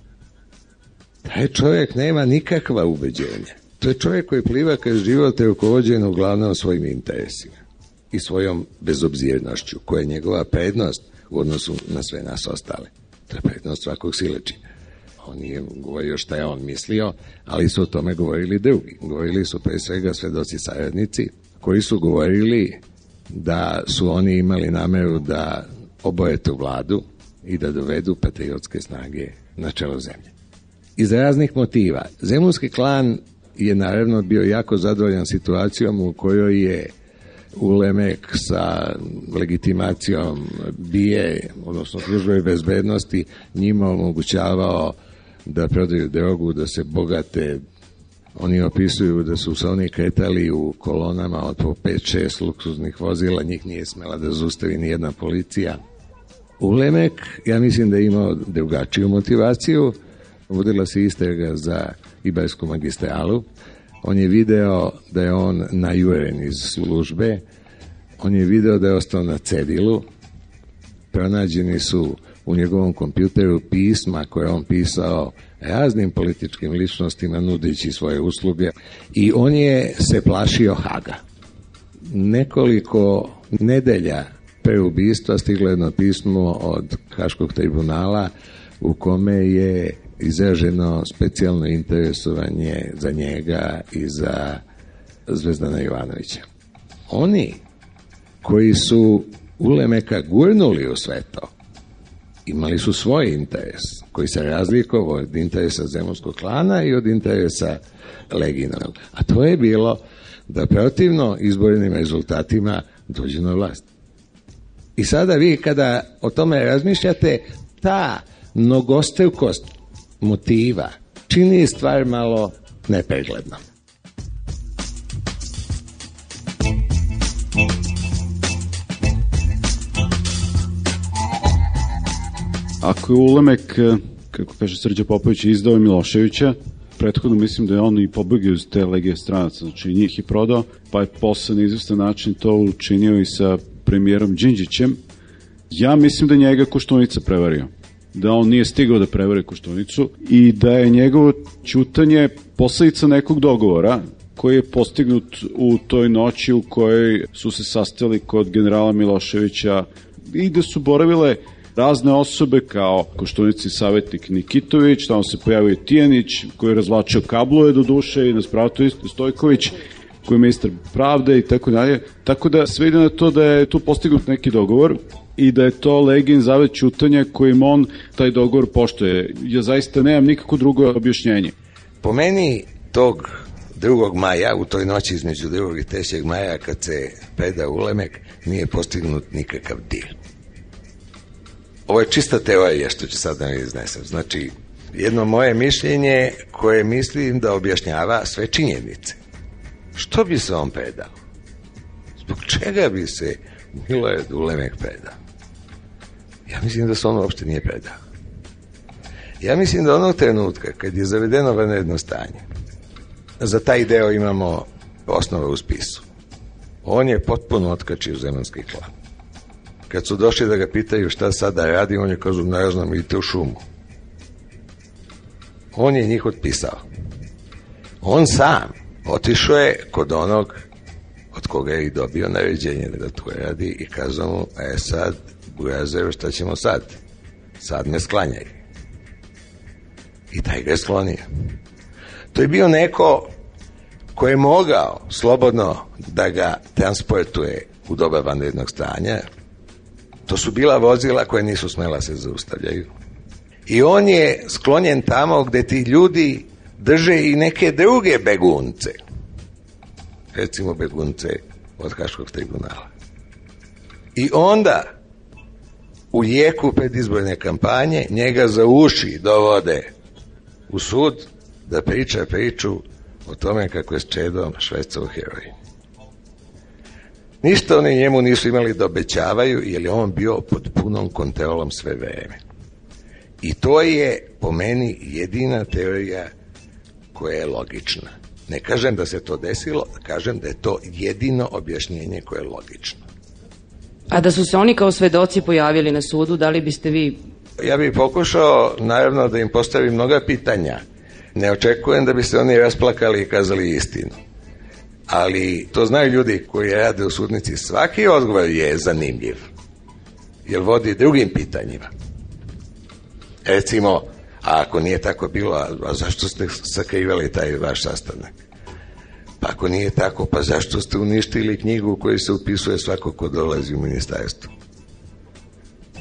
Taj čovjek nema nikakva ubeđenja. To je čovjek koji pliva kroz život je rukovođen uglavnom svojim interesima i svojom bezobzirnošću, koja je njegova prednost u odnosu na sve nas ostale. To je prednost svakog sileđina. On nije govorio šta je on mislio, ali su o tome govorili drugi. Govorili su pre svega svedoci saradnici, koji su govorili da su oni imali nameru da oboje tu vladu i da dovedu patriotske snage na čelo zemlje. Iz raznih motiva. Zemunski klan je naravno bio jako zadovoljan situacijom u kojoj je Ulemek sa legitimacijom BIA, odnosno službe bezbednosti, njima omogućavao da prodaju drogu, da se bogate. Oni opisuju da su se oni kretali u kolonama od po 5-6 luksuznih vozila, njih nije smela da zaustavi ni jedna policija. Ulemek, ja mislim da je imao drugačiju motivaciju, vodila se istraga za Ibarsku magistralu, on je video da je on najuren iz službe, on je video da je ostao na cedilu, pronađeni su u njegovom kompjuteru pisma koje on pisao raznim političkim ličnostima nudeći svoje usluge i on je se plašio Haga. Nekoliko nedelja pre ubistva stiglo jedno pismo od Haškog tribunala u kome je izraženo specijalno interesovanje za njega i za Zvezdana Jovanovića. Oni koji su Ulemeka gurnuli u sve to, imali su svoj interes, koji se razlikovao od interesa Zemunskog klana i od interesa Leginovog. A to je bilo da protivno izbornim rezultatima dođe na vlast. I sada vi kada o tome razmišljate, ta mnogostrukost motiva čini stvar malo nepregledno. ako je Ulemek, kako kaže Srđa Popović, izdao Miloševića, prethodno mislim da je on i pobegao iz te legije stranaca, znači njih je prodao, pa je posle na izvestan način to učinio i sa premijerom Đinđićem. Ja mislim da njega Koštunica prevario, da on nije stigao da prevari Koštunicu i da je njegovo ćutanje posledica nekog dogovora koji je postignut u toj noći u kojoj su se sastali kod generala Miloševića i da su boravile razne osobe kao Koštunici savjetnik Nikitović, tamo se pojavio Tijanić koji je razvlačio kablove do duše i na spratu isto Stojković koji je ministar pravde i tako dalje. Tako da sve ide na to da je tu postignut neki dogovor i da je to Legin zavet ćutanja kojim on taj dogovor poštuje. Ja zaista nemam nikako drugo objašnjenje. Po meni tog 2. maja, u toj noći između 2. i 3. maja kad se preda Ulemek, nije postignut nikakav dil. Ovo je čista teorija što ću sad da mi iznesem. Znači, jedno moje mišljenje koje mislim da objašnjava sve činjenice. Što bi se on predao? Zbog čega bi se Milorad Ulemek predao? Ja mislim da se on uopšte nije predao. Ja mislim da onog trenutka kad je zavedeno vanredno stanje, za taj deo imamo osnove u spisu. On je potpuno otkačio zemanski klan. Kad su došli da ga pitaju šta sada radi, on je kažu, ne znam, idite u šumu. On je njih otpisao. On sam otišao je kod onog od koga je i dobio naređenje da to radi i kazao mu, sad, Burazeru, šta ćemo sad? Sad me sklanjaj. I taj ga je sklonio. To je bio neko ko je mogao slobodno da ga transportuje u doba vanrednog stanja. To su bila vozila koje nisu smela se zaustavljaju. I on je sklonjen tamo gde ti ljudi drže i neke druge begunce. Recimo begunce od Haškog tribunala. I onda u jeku predizborne kampanje njega za uši dovode u sud da priča priču o tome kako je s Čedom švercao heroin. Ništa oni njemu nisu imali da obećavaju, jer je on bio pod punom kontrolom sve vreme. I to je po meni jedina teorija koja je logična. Ne kažem da se to desilo, kažem da je to jedino objašnjenje koje je logično. A da su se oni kao svedoci pojavili na sudu, da li biste vi... Ja bih pokušao, naravno, da im postavim mnoga pitanja. Ne očekujem da bi se oni rasplakali i kazali istinu. Ali to znaju ljudi koji rade u sudnici. Svaki odgovor je zanimljiv, jer vodi drugim pitanjima. Recimo, a ako nije tako bilo, a zašto ste sakrivali taj vaš sastanak? Pa ako nije tako, pa zašto ste uništili knjigu u kojoj se upisuje svako ko dolazi u ministarstvo?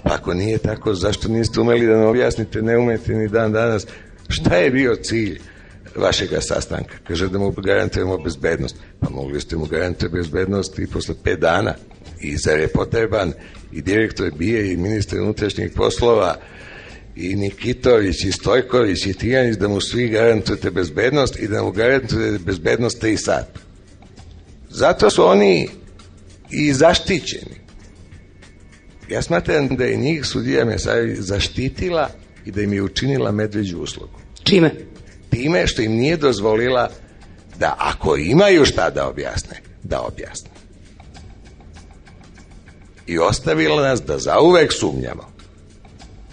Pa ako nije tako, zašto niste umeli da nam objasnite, ne umete ni dan danas, šta je bio cilj vašega sastanka? Kaže da mu garantujemo bezbednost. Pa mogli ste mu garantovati bezbednost i posle 5 dana. I zar je potreban i direktor BIA i ministar unutrašnjih poslova i Nikitović i Stojković i Tijanić da mu svi garantujete bezbednost i da mu garantujete bezbednost 3 sata. Zato su oni i zaštićeni. Ja smatram da je njih sudija Mesarović zaštitila i da im je učinila medveđu uslugu. Čime? Time što im nije dozvolila da ako imaju šta da objasne, da objasne. I ostavila nas da zauvek sumnjamo.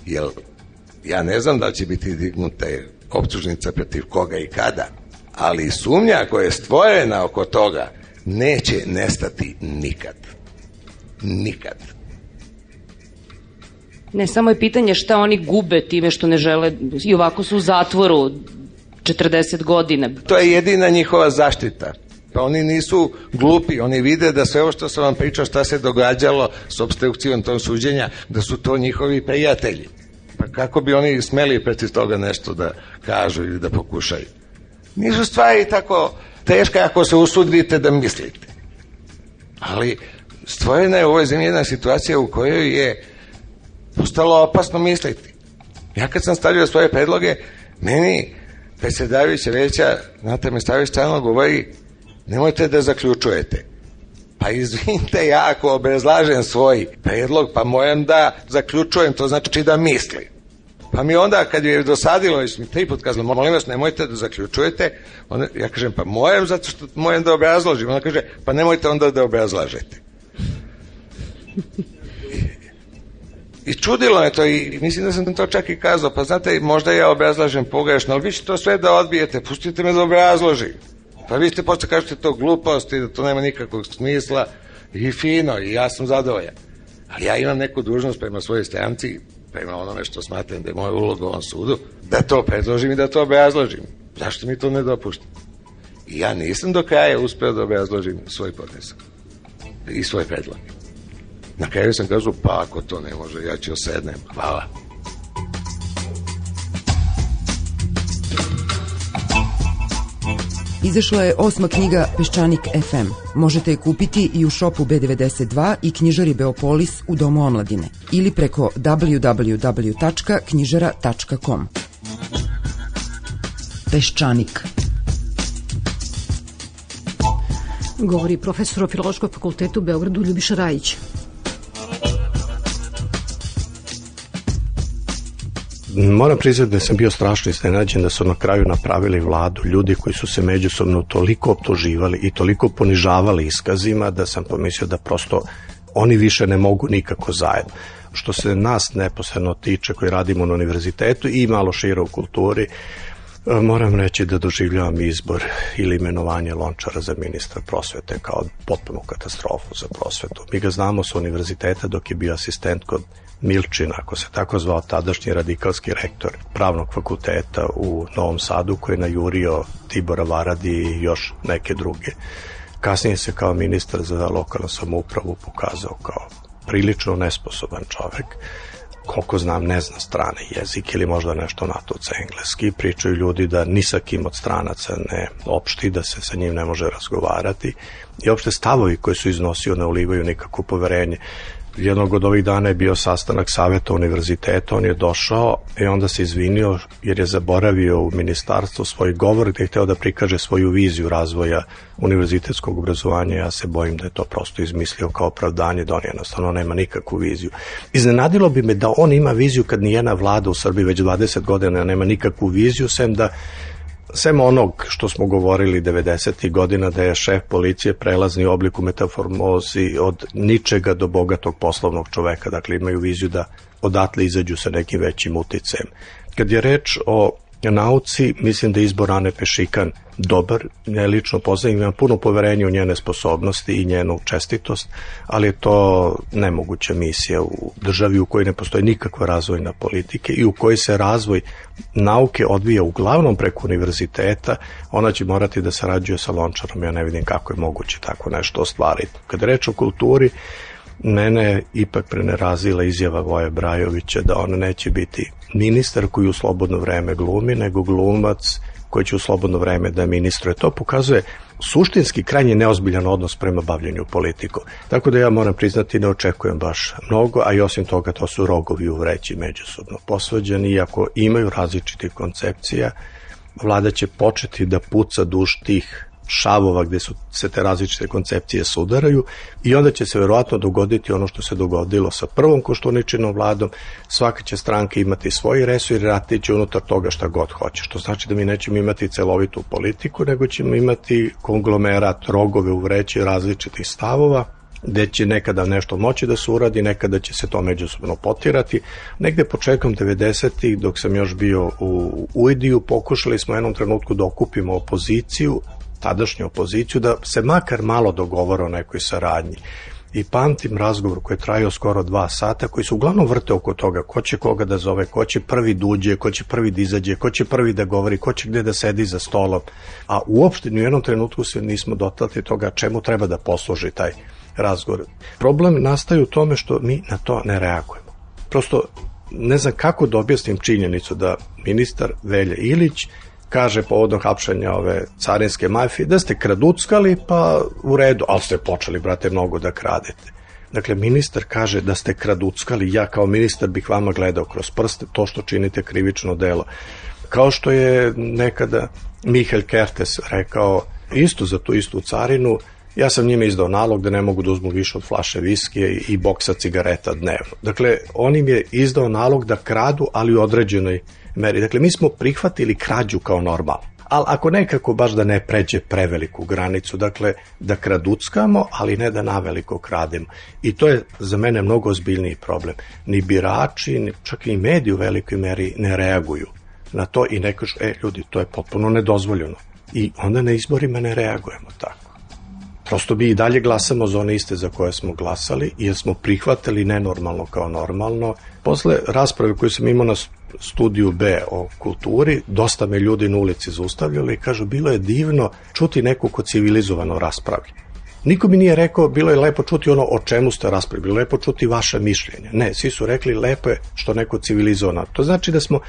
Jer ja ne znam da će biti dignuta optužnica protiv koga i kada, ali sumnja koja je stvorena oko toga neće nestati nikad. Nikad. Ne, samo je pitanje šta oni gube time što ne žele, i ovako su u zatvoru 40 godina. To je jedina njihova zaštita. Pa oni nisu glupi, oni vide da sve ovo što sam vam pričao šta se događalo s opstrukcijom tog suđenja, da su to njihovi prijatelji. Pa kako bi oni smeli protiv toga nešto da kažu ili da pokušaju? Nisu stvari tako teške ako se usudite da mislite. Ali stvorena je u ovoj zemlji jedna situacija u kojoj je postalo opasno misliti. Ja kad sam stavljao svoje predloge, meni predsjedavajuća veća Nata Mesarović stalno govori, nemojte da zaključujete. Pa izvinite, ja ako obrazlažem svoj predlog, pa moram da zaključujem, to znači da mislim. Pa mi onda, kad je dosadilo, mi 3 put kazali, molim vas, nemojte da zaključujete. Onda, ja kažem, pa mojem, zato što mojem da obrazložim. Ona kaže, pa nemojte onda da obrazlažete. I čudilo je to i mislim da sam to čak i kazao, pa znate, možda ja obrazlažem pogrešno, ali vi ćete to sve da odbijete, pustite me da obrazložim. Pa vi ste posle kažete to glupost i da to nema nikakvog smisla i fino i ja sam zadovoljan. Ali ja imam neku dužnost prema svojoj stranci, prema onome što smatram da je moja uloga u ovom sudu, da to predložim i da to obrazložim. Zašto mi to ne dopušta? I ja nisam do kraja uspeo da obrazložim svoj podnesak i svoj predlog. Na kraju sam kazao, pa ako to ne može, ja ću osednem. Hvala. Izašla je 8. knjiga Peščanik FM. Možete je kupiti i u šopu B92 i knjižari Beopolis u Domu omladine ili preko www.knjižara.com. Peščanik. Govori profesor o Filološkom fakultetu u Beogradu Ljubiša Rajić. Moram priznati da sam bio strašno iznenađen da su na kraju napravili vladu ljudi koji su se međusobno toliko optuživali i toliko ponižavali iskazima da sam pomislio da prosto oni više ne mogu nikako zajedno. Što se nas neposredno tiče koji radimo na univerzitetu i malo šire u kulturi, moram reći da doživljavam izbor ili imenovanje Lončara za ministra prosvete kao potpunu katastrofu za prosvetu. Mi ga znamo sa univerziteta dok je bio asistent kod Milčina, ako se tako zvao tadašnji radikalski rektor pravnog fakulteta u Novom Sadu, koji je najurio Tibora Varadi i još neke druge. Kasnije se kao ministar za lokalnu samoupravu pokazao kao prilično nesposoban čovek. Koliko znam, ne zna strane jezik ili možda nešto natuca engleski. Pričaju ljudi da ni sa kim od stranaca ne opšti, da se sa njim ne može razgovarati. I opšte stavovi koji su iznosio ne ulivaju nikakvo poverenje. Jednog od ovih dana je bio sastanak saveta univerziteta, on je došao i onda se izvinio jer je zaboravio u ministarstvu svoj govor gde je hteo da prikaže svoju viziju razvoja univerzitetskog obrazovanja. Ja se bojim da je to prosto izmislio kao opravdanje, da on jednostavno nema nikakvu viziju. Iznenadilo bi me da on ima viziju kad nijedna vlada u Srbiji već 20 godina nema nikakvu viziju, sem onog što smo govorili 90. godina da je šef policije prelazni oblik u metaformozi od ničega do bogatog poslovnog čoveka. Dakle, imaju viziju da odatle izađu sa nekim većim uticajem. Kad je reč o nauci, mislim da je izbor Ane Pešikan dobar. Ja lično poznajem, imam puno poverenja u njene sposobnosti i njenu čestitost, ali je to nemoguća misija u državi u kojoj ne postoji nikakva razvojna politika i u kojoj se razvoj nauke odvija uglavnom preko univerziteta. Ona će morati da sarađuje sa Lončarom, ja ne vidim kako je moguće tako nešto ostvariti. Kad je reč o kulturi, mene ipak prenerazila izjava Voje Brajovića da on neće biti ministar koji u slobodno vreme glumi, nego glumac koji će u slobodno vreme da ministruje. To pokazuje suštinski krajnje neozbiljan odnos prema bavljenju politikom. Tako da ja moram priznati ne očekujem baš mnogo, a i osim toga to su rogovi u vreći međusobno posvađani, iako imaju različitih koncepcija, vlada će početi da puca duž tih šavova gde su se te različite koncepcije sudaraju i onda će se verovatno dogoditi ono što se dogodilo sa prvom Koštuničinom vladom. Svaka će stranka imati svoj resor i raditi će unutar toga šta god hoće, što znači da mi nećemo imati celovitu politiku, nego ćemo imati konglomerat, rogove u vreći različitih stavova, gde će nekada nešto moći da se uradi, nekada će se to međusobno potirati. Negde početkom 90-ih, dok sam još bio u UID-u, pokušali smo u jednom trenutku da okupimo opoziciju, tadašnju opoziciju, da se makar malo dogovore o nekoj saradnji. I pamtim razgovor koji je trajao skoro 2 sata, koji su uglavnom vrte oko toga ko će koga da zove, ko će prvi da uđe, ko će prvi da izađe, ko će prvi da govori, ko će gde da sedi za stolom. A uopšte ni u jednom trenutku se nismo dotakli toga čemu treba da posluži taj razgovor. Problem nastaje u tome što mi na to ne reagujemo. Prosto ne znam kako da objasnim činjenicu da ministar Velja Ilić kaže povodom hapšenja ove carinske mafije da ste kraduckali, pa u redu, ali ste počeli, brate, mnogo da kradete. Dakle, ministar kaže da ste kraduckali, ja kao ministar bih vama gledao kroz prste, to što činite krivično delo. Kao što je nekada Mihael Kertes rekao isto za tu istu carinu, Ja sam njima izdao nalog da ne mogu da uzmu više od flaše viskije i boksa cigareta dnevno. Dakle, on im je izdao nalog da kradu, ali u određenoj meri. Dakle, mi smo prihvatili krađu kao normalno. Ali ako nekako baš da ne pređe preveliku granicu, dakle, da kraduckamo, ali ne da naveliko krademo. I to je za mene mnogo ozbiljniji problem. Ni birači, čak i mediji u velikoj meri ne reaguju na to i ne kažu, ljudi, to je potpuno nedozvoljeno. I onda na izborima ne reagujemo tako. Prosto bi i dalje glasamo za one iste za koje smo glasali, jer smo prihvatili nenormalno kao normalno. Posle rasprave koju sam imao na studiju B o kulturi, dosta me ljudi na ulici zaustavljali i kažu, bilo je divno čuti neko ko civilizovano raspravlja. Niko mi nije rekao, bilo je lepo čuti ono o čemu ste raspravili, bilo je lepo čuti vaše mišljenje. Ne, svi su rekli, lepo je što neko civilizovano. To znači da smo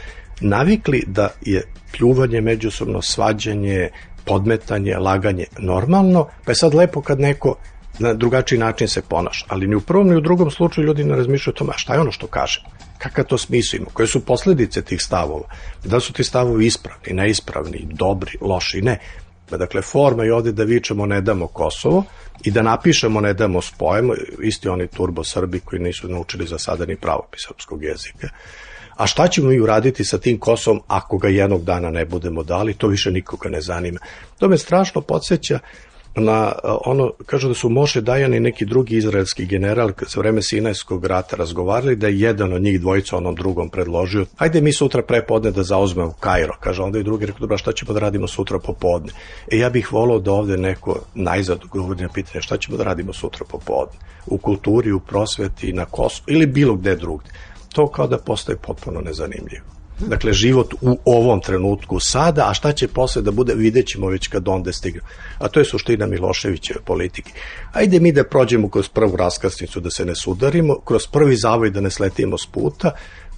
navikli da je pljuvanje međusobno, svađanje, podmetanje, laganje normalno, pa je sad lepo kad neko na drugačiji način se ponaša. Ali ni u prvom ni u drugom slučaju ljudi ne razmišljaju o tome, a šta je ono što kaže? Kakav to smisao ima? Koje su posledice tih stavova? Da su ti stavovi ispravni, neispravni, dobri, loši? Ne. Dakle, forma je ovde da vičemo ne damo Kosovo i da napišemo ne damo spojemo, isti oni turbo Srbi koji nisu naučili za sada ni pravopis srpskog jezika. A šta ćemo mi uraditi sa tim Kosovom ako ga jednog dana ne budemo dali, to više nikoga ne zanima. To me strašno podsjeća na ono, kažu da su Moše Dajan i neki drugi izraelski general za vreme Sinajskog rata razgovarali, da je jedan od njih dvojica onom drugom predložio, ajde mi sutra prepodne da zauzmemo Kairo, kaže, onda i drugi rekao, dobro, šta ćemo da radimo sutra popodne? Ja bih volao da ovde neko najzad govori na pitanje šta ćemo da radimo sutra popodne, u kulturi, u prosveti, na Kosovu ili bilo gde drugde. To kao da postaje potpuno nezanimljivo. Dakle, život u ovom trenutku sada, a šta će posle da bude, vidjet ćemo već kad onda stigne. A to je suština Miloševićeve politike. Ajde mi da prođemo kroz prvu raskrsnicu, da se ne sudarimo, kroz prvi zavoj da ne sletimo s puta,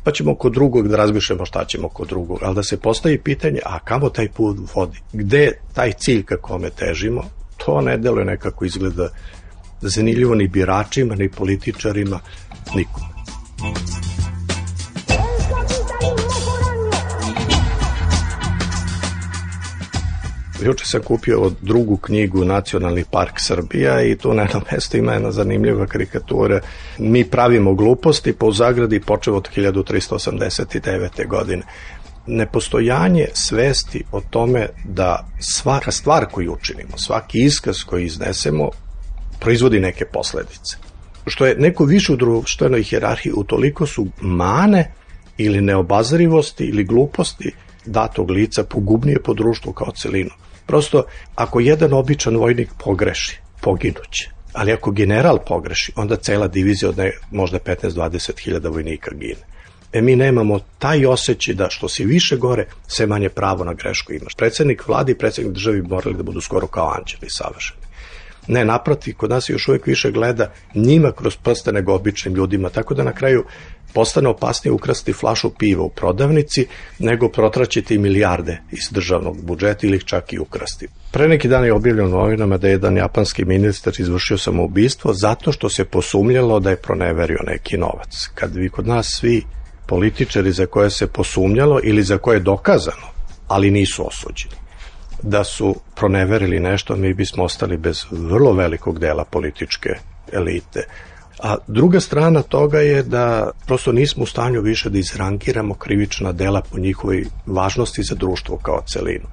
pa ćemo kod drugog da razmišljamo šta ćemo kod drugog. Ali da se postavi pitanje, a kamo taj put vodi? Gde je taj cilj ka kome težimo? To ne deluje nekako izgleda zanimljivo ni biračima, ni političarima, nikome. Juče sam kupio drugu knjigu Nacionalni park Srbija i tu na jednom mjestu ima jedna zanimljiva karikatura. Mi pravimo gluposti, pa u zagradi počeo od 1389. godine. Nepostojanje svesti o tome da svaka stvar koju učinimo, svaki iskaz koji iznesemo, proizvodi neke posledice. Što je neko više u društvenoj hijerarhiji, utoliko su mane ili neobazrivosti ili gluposti datog lica pogubnije po društvu kao celinu. Prosto, ako jedan običan vojnik pogreši, poginuće. Ali ako general pogreši, onda cela divizija od možda 15-20 hiljada vojnika gine. Mi nemamo taj osjećaj da što si više gore, sve manje pravo na grešku imaš. Predsednik vlade i predsednik državi bi morali da budu skoro kao anđeli savršeni. Ne, naprotiv, kod nas još uvijek više gleda njima kroz prste nego običnim ljudima, tako da na kraju postane opasnije ukrasti flašu piva u prodavnici nego protraćiti milijarde iz državnog budžeta ili ih čak i ukrasti. Pre neki dan je objavljeno u novinama da je jedan japanski ministar izvršio samoubistvo zato što se posumnjalo da je proneverio neki novac. Kad bi kod nas svi političari za koje se posumnjalo ili za koje je dokazano, ali nisu osuđeni, da su proneverili nešto, mi bismo ostali bez vrlo velikog dela političke elite. A druga strana toga je da prosto nismo u stanju više da izrangiramo krivična dela po njihovoj važnosti za društvo kao celinu.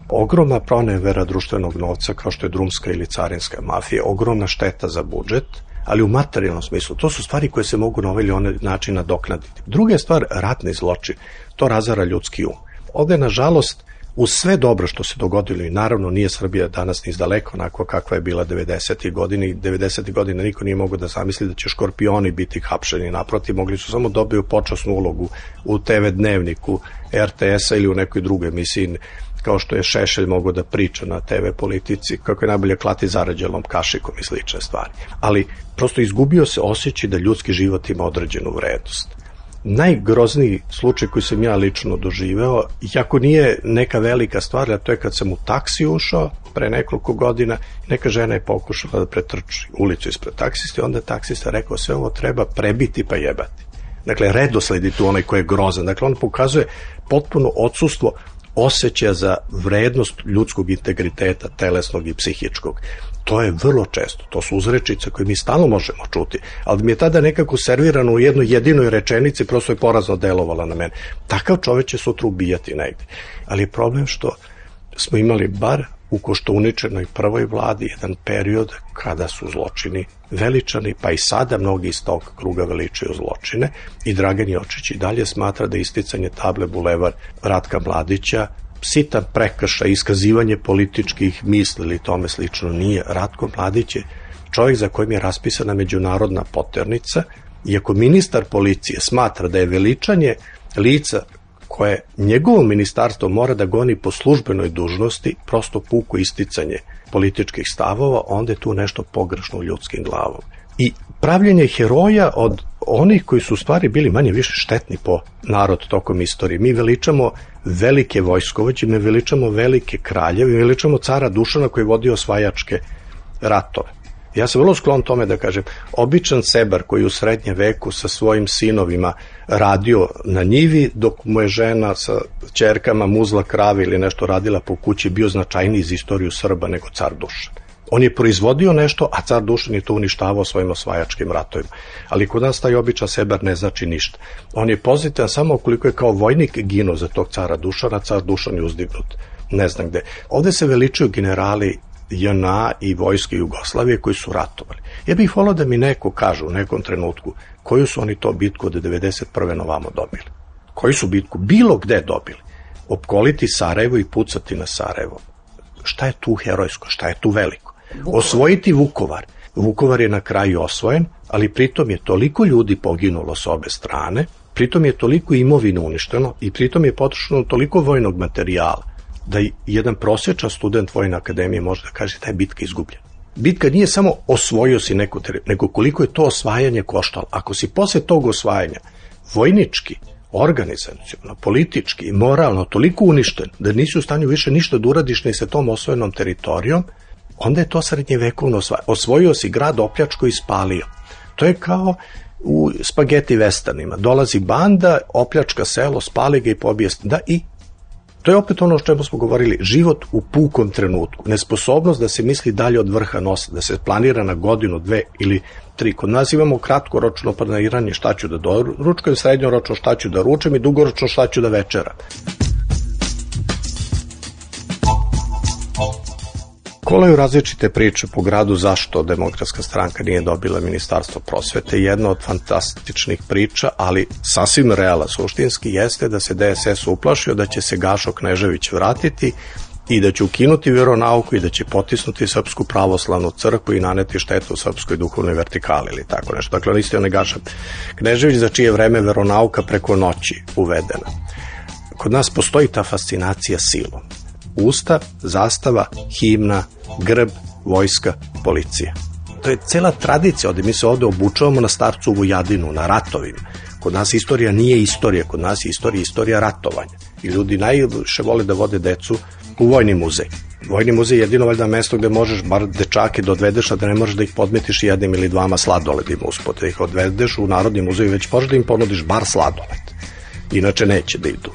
Ogromna pronevera društvenog novca kao što je drumska ili carinska mafija, ogromna šteta za budžet, ali u materijalnom smislu. To su stvari koje se mogu na ovaj ili onaj način nadoknaditi. Druga je stvar ratni zločin. To razara ljudski um. Ovde, nažalost, uz sve dobro što se dogodilo, i naravno nije Srbija danas ni izdaleko onako kakva je bila 90. godine, i 90. godine niko nije mogao da zamisli da će škorpioni biti hapšeni, naprotiv, mogli su samo dobiju počasnu ulogu u TV dnevniku RTS-a ili u nekoj drugoj emisiji, kao što je Šešelj mogao da priča na TV politici, kako je najbolje klati zarađelom kašikom i slične stvari. Ali prosto izgubio se osjećaj da ljudski život ima određenu vrednost. Najgrozniji slučaj koji sam ja lično doživeo, iako nije neka velika stvar, a to je kad sam u taksi ušao pre nekoliko godina, neka žena je pokušala da pretrči ulicu ispred taksista i onda taksista rekao sve ovo treba prebiti pa jebati. Dakle, redosled je tu onaj koji je grozan. Dakle, on pokazuje potpuno odsustvo osjećaja za vrednost ljudskog integriteta, telesnog i psihičkog. To je vrlo često, to su uzrečice koje mi stalno možemo čuti, ali mi je tada nekako servirano u jednoj jedinoj rečenici, prosto je porazno delovala na mene. Takav čovek će sutra ubijati negde. Ali je problem što smo imali bar u Koštuničinoj prvoj vladi jedan period kada su zločini veličani, pa i sada mnogi iz tog kruga veličaju zločine i Dragan Jočić i dalje smatra da isticanje table Bulevar Ratka Mladića sitan prekršaj, iskazivanje političkih misli ili tome slično nije. Ratko Mladić je čovjek za kojim je raspisana međunarodna poternica i ako ministar policije smatra da je veličanje lica koje njegovo ministarstvo mora da goni po službenoj dužnosti, prosto puko isticanje političkih stavova, onda je tu nešto pogrešno u ljudskim glavom. I pravljenje heroja od onih koji su u stvari bili manje više štetni po narod tokom istorije. Mi veličamo velike vojskovođe, mi veličamo velike kraljeve, mi veličamo cara Dušana koji je vodio osvajačke ratove. Ja sam vrlo sklon tome da kažem, običan sebar koji u srednjem veku sa svojim sinovima radio na njivi, dok mu je žena sa ćerkama muzla krave ili nešto radila po kući, bio značajniji za istoriju Srba nego car Dušan. On je proizvodio nešto, a car Dušan je to uništavao svojim osvajačkim ratovima. Ali kod nas taj običan sebar ne znači ništa. On je pozitivan samo ukoliko je kao vojnik ginuo za tog cara Dušana, car Dušan je uzdignut ne znam gde. Ovde se veličuju generali JNA i vojske Jugoslavije koji su ratovali. Ja bih volao da mi neko kaže u nekom trenutku koju su oni to bitku od 91. na ovamo dobili. Koju su bitku bilo gde dobili. Opkoliti Sarajevo i pucati na Sarajevo. Šta je tu herojsko, šta je tu veliko? Osvojiti Vukovar. Vukovar je na kraju osvojen, ali pritom je toliko ljudi poginulo s obe strane, pritom je toliko imovine uništeno i pritom je potrošeno toliko vojnog materijala da jedan prosječan student Vojne akademije može da kaže da je bitka izgubljena. Bitka nije samo osvojio si neku teritoriju, nego koliko je to osvajanje koštalo. Ako si posle tog osvajanja vojnički, organizacionalno, politički i moralno toliko uništen da nisi u stanju više ništa da uradiš ni sa tom osvojenom teritorijom, onda je to srednjevekovno osvajanje. Osvojio si grad, opljačko i spalio. To je kao u spageti vestanima. Dolazi banda, opljačka selo, spali ga i pobije. Da, i to je opet ono o čemu smo govorili, život u pukom trenutku, nesposobnost da se misli dalje od vrha nosa, da se planira na godinu, 2 ili 3. Kod nas imamo kratkoročno planiranje šta ću da doručkujem, srednjoročno šta ću da ručem i dugoročno šta ću da večeram. Kolaju različite priče po gradu zašto Demokratska stranka nije dobila ministarstvo prosvete. Jedna od fantastičnih priča, ali sasvim realna suštinski, jeste da se DSS uplašio da će se Gašo Knežević vratiti i da će ukinuti veronauku i da će potisnuti Srpsku pravoslavnu crkvu i naneti štetu Srpskoj duhovnoj vertikali ili tako nešto. Dakle, on isti onaj Gaša Knežević za čije vreme veronauka preko noći uvedena. Kod nas postoji ta fascinacija silom. Ustav, zastava, himna, grb, vojska, policija. To je cela tradicija, mi se ovde obučavamo na starcu Vujadinu, na ratovima. Kod nas istorija nije istorija, kod nas je istorija ratovanja. I ljudi najviše vole da vode decu u Vojni muzej. Vojni muzej je jedino valjda mesto gde možeš bar dečake da odvedeš, a da ne možeš da ih podmetiš jednim ili dvama sladoledima uspod. Da ih odvedeš u Narodni muzej, već možeš da im ponudiš bar sladoled. Inače neće da idu.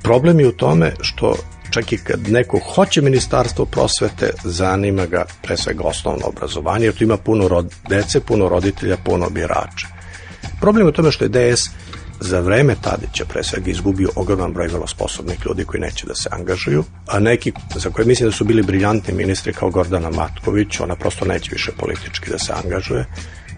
Problem je u tome što čak i kad neko hoće ministarstvo prosvete, zanima ga pre svega osnovno obrazovanje, jer tu ima puno dece, puno roditelja, puno birača. Problem je u tome što je DS za vreme Tadića pre svega izgubio ogroman broj vrlo sposobnih ljudi koji neće da se angažuju, a neki za koje mislim da su bili briljantni ministri kao Gordana Matković, ona prosto neće više politički da se angažuje.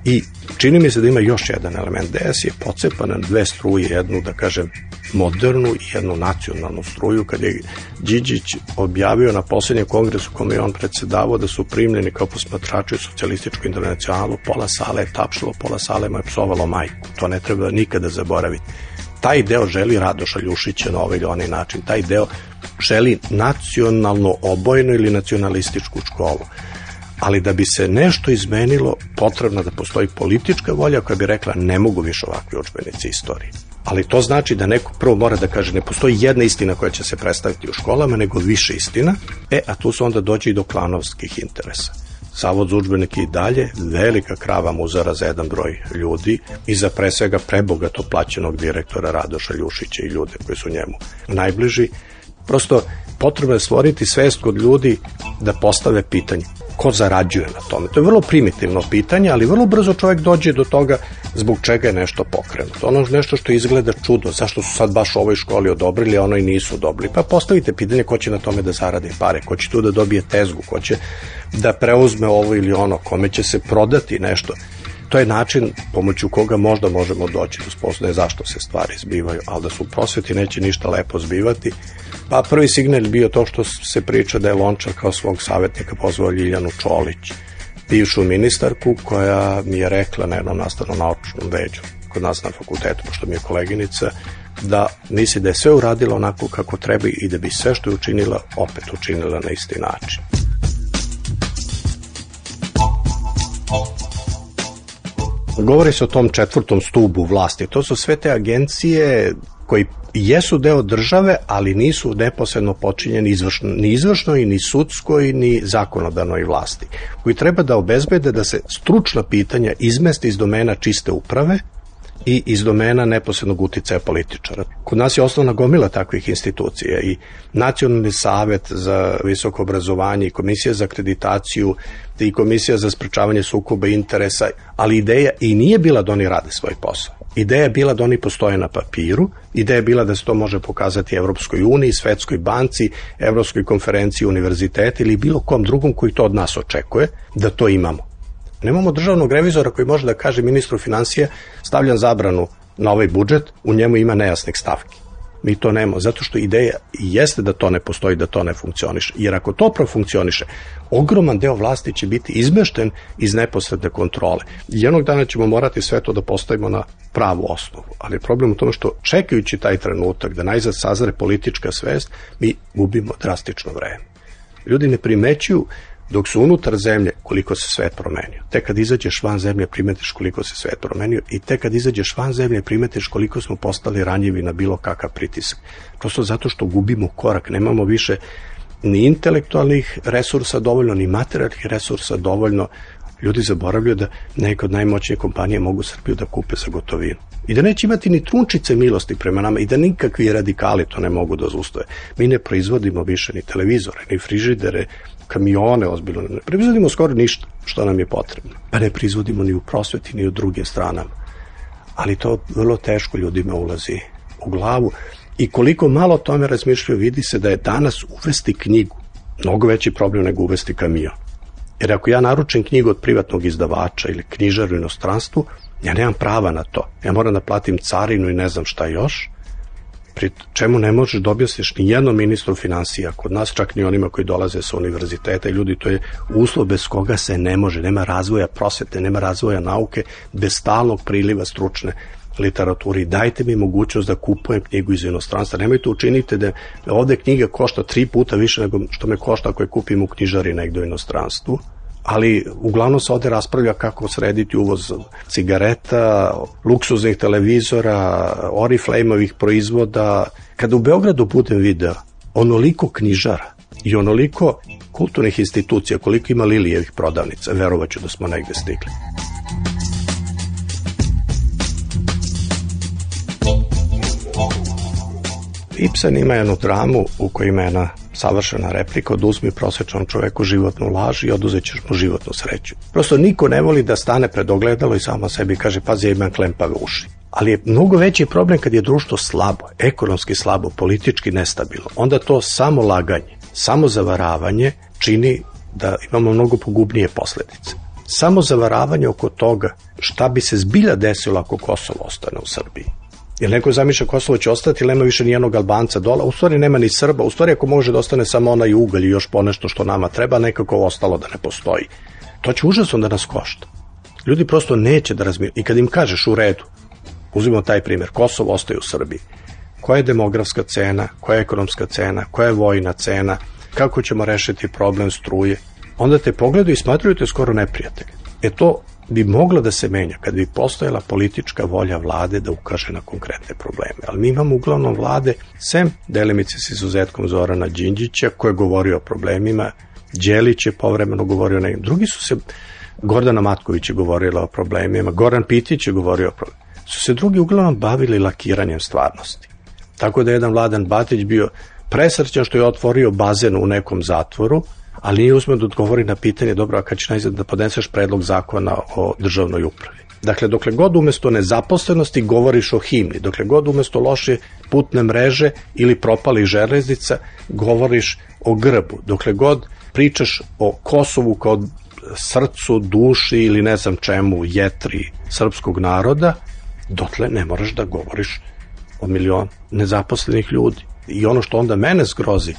I čini mi se da ima još jedan element. DS je pocepan na dve struje, jednu, da kažem, modernu i jednu nacionalnu struju. Kad je Điđić objavio na poslednjem kongresu kome je on predsedavao da su primljeni kao posmatrači u socijalističku internacionalu, pola sale je tapšalo, pola sale mu je psovalo majku. To ne treba nikada zaboraviti. Taj deo želi Radoša Ljušića na ovaj ili onaj način. Taj deo želi nacionalno obojenu ili nacionalističku školu. Ali da bi se nešto izmenilo, potrebno da postoji politička volja koja bi rekla ne mogu više ovakvi udžbenici istorije. Ali to znači da neko prvo mora da kaže ne postoji jedna istina koja će se predstaviti u školama, nego više istina, a tu se onda dođe i do klanovskih interesa. Zavod za udžbenike i dalje, velika krava muzara za jedan broj ljudi i za pre svega prebogato plaćenog direktora Radoša Ljušića i ljude koji su njemu najbliži. Prosto potrebno je stvoriti svest kod ljudi da postave pitanje. Ko zarađuje na tome? To je vrlo primitivno pitanje, ali vrlo brzo čovjek dođe do toga zbog čega je nešto pokrenuto. Ono nešto što izgleda čudno, zašto su sad baš u ovoj školi odobrili, a ono i nisu odobrili. Pa postavite pitanje ko će na tome da zaradi pare, ko će tu da dobije tezgu, ko će da preuzme ovo ili ono, kome će se prodati nešto. To je način pomoću koga možda možemo doći do spoznaje zašto se stvari zbivaju, ali da su u prosveti neće ništa lepo zbivati. Pa prvi signal je bio to što se priča da je Lončar kao svog savjetnika pozvao Ljiljanu Čolić, bivšu ministarku, koja mi je rekla na jednom nastavno-naučnom veđu kod nas na fakultetu, pošto mi je koleginica, da misli da je sve uradila onako kako treba i da bi sve što je učinila opet učinila na isti način. Govori se o tom 4. stubu vlasti. To su sve te agencije koji jesu deo države, ali nisu neposredno počinjeni ni izvršnoj, ni sudskoj, ni zakonodavnoj vlasti, koji treba da obezbede da se stručna pitanja izmeste iz domena čiste uprave i iz domena neposrednog uticaja političara. Kod nas je osnovna gomila takvih institucija i Nacionalni savet za visoko obrazovanje i Komisija za akreditaciju i Komisija za sprečavanje sukoba interesa, ali ideja i nije bila da oni rade svoj posao. Ideja je bila da oni postoje na papiru, ideja je bila da se to može pokazati Evropskoj uniji, Svetskoj banci, Evropskoj konferenciji univerziteta ili bilo kom drugom koji to od nas očekuje, da to imamo. Nemamo državnog revizora koji može da kaže ministru finansija stavljam zabranu na ovaj budžet, u njemu ima nejasnih stavki. Mi to nemamo, zato što ideja jeste da to ne postoji, da to ne funkcioniše. Jer ako to profunkcioniše, ogroman deo vlasti će biti izmešten iz neposredne kontrole. I jednog dana ćemo morati sve to da postavimo na pravu osnovu. Ali je problem u tome što čekajući taj trenutak da najzad sazre politička svest, mi gubimo drastično vreme. Ljudi ne primećuju dok su unutar zemlje koliko se svet promenio. Tek kad izađeš van zemlje primetiš koliko se svet promenio i tek kad izađeš van zemlje primetiš koliko smo postali ranjivi na bilo kakav pritisak. Prosto zato što gubimo korak, nemamo više ni intelektualnih resursa dovoljno, ni materijalnih resursa dovoljno. Ljudi zaboravljaju da neke od najmoćnije kompanije mogu Srbiju da kupe za gotovinu. I da neće imati ni trunčice milosti prema nama i da nikakvi radikali to ne mogu da zaustoje. Mi ne proizvodimo više ni televizore, ni frižidere, kamione, ozbiljno ne proizvodimo skoro ništa što nam je potrebno. Pa ne proizvodimo ni u prosveti, ni u drugim stranama. Ali to vrlo teško ljudima ulazi u glavu i koliko malo o tome razmišljaju, vidi se da je danas uvesti knjigu mnogo veći problem nego uvesti kamion. Jer ako ja naručim knjigu od privatnog izdavača ili knjižaru u inostranstvu, ja nemam prava na to. Ja moram da platim carinu i ne znam šta još, pri čemu ne možeš da objasniš ni jednom ministru finansija, kod nas čak ni onima koji dolaze sa univerziteta i ljudi, to je uslov bez koga se ne može, nema razvoja prosvete, nema razvoja nauke, bez stalnog priliva stručne literaturi. Dajte mi mogućnost da kupujem knjigu iz inostranstva. Nemojte učiniti da ovde knjiga košta 3 puta više nego što me košta ako je kupim u knjižari negde u inostranstvu. Ali uglavnom se ovde raspravlja kako srediti uvoz cigareta, luksuznih televizora, Oriflame-ovih proizvoda. Kada u Beogradu budem video onoliko knjižara i onoliko kulturnih institucija, koliko ima Lilijevih prodavnica, verovaću da smo negde stigli. Ibsen ima jednu dramu u kojoj ima jedna savršena replika: oduzmi prosječnom čoveku životnu laž i oduzet ćeš mu životnu sreću. Prosto niko ne voli da stane pred ogledalo i samo sebi kaže pazi, ja imam klempave uši. Ali je mnogo veći problem kad je društvo slabo, ekonomski slabo, politički nestabilno. Onda to samo laganje, samo zavaravanje čini da imamo mnogo pogubnije posledice. Samo zavaravanje oko toga šta bi se zbilja desilo ako Kosovo ostane u Srbiji. Jer neko zamišlja Kosovo će ostati, ili nema više ni jednog Albanca dola, u stvari nema ni Srba, u stvari ako može da ostane samo onaj ugalj i još ponešto što nama treba, nekako ostalo da ne postoji. To će užasno da nas košta. Ljudi prosto neće da razmišljaju. I kad im kažeš u redu, uzmimo taj primjer, Kosovo ostaje u Srbiji, koja je demografska cena, koja je ekonomska cena, koja je vojna cena, kako ćemo rešiti problem struje, onda te pogledaju i smatruju te skoro neprijatelje. To bi moglo da se menja kad bi postojala politička volja vlade da ukaže na konkretne probleme. Ali mi imamo uglavnom vlade, sem delimice s izuzetkom Zorana Đinđića, koji je govorio o problemima, Đelić je povremeno govorio o nekim. Drugi su se, Gordana Matković je govorila o problemima, Goran Pitić je govorio o problemima. Su se drugi uglavnom bavili lakiranjem stvarnosti. Tako da je jedan Vladan Batić bio presrećan što je otvorio bazen u nekom zatvoru, ali nije uzmeo da odgovori na pitanje, dobro, a kad ćeš najzad da podneseš predlog zakona o državnoj upravi. Dakle, dokle god umesto nezaposlenosti govoriš o himni, dokle god umesto loše putne mreže ili propalih železnica govoriš o grbu, dokle god pričaš o Kosovu kao srcu, duši ili ne znam čemu, jetri srpskog naroda, dotle ne moraš da govoriš o milion nezaposlenih ljudi. I ono što onda mene zgrozi,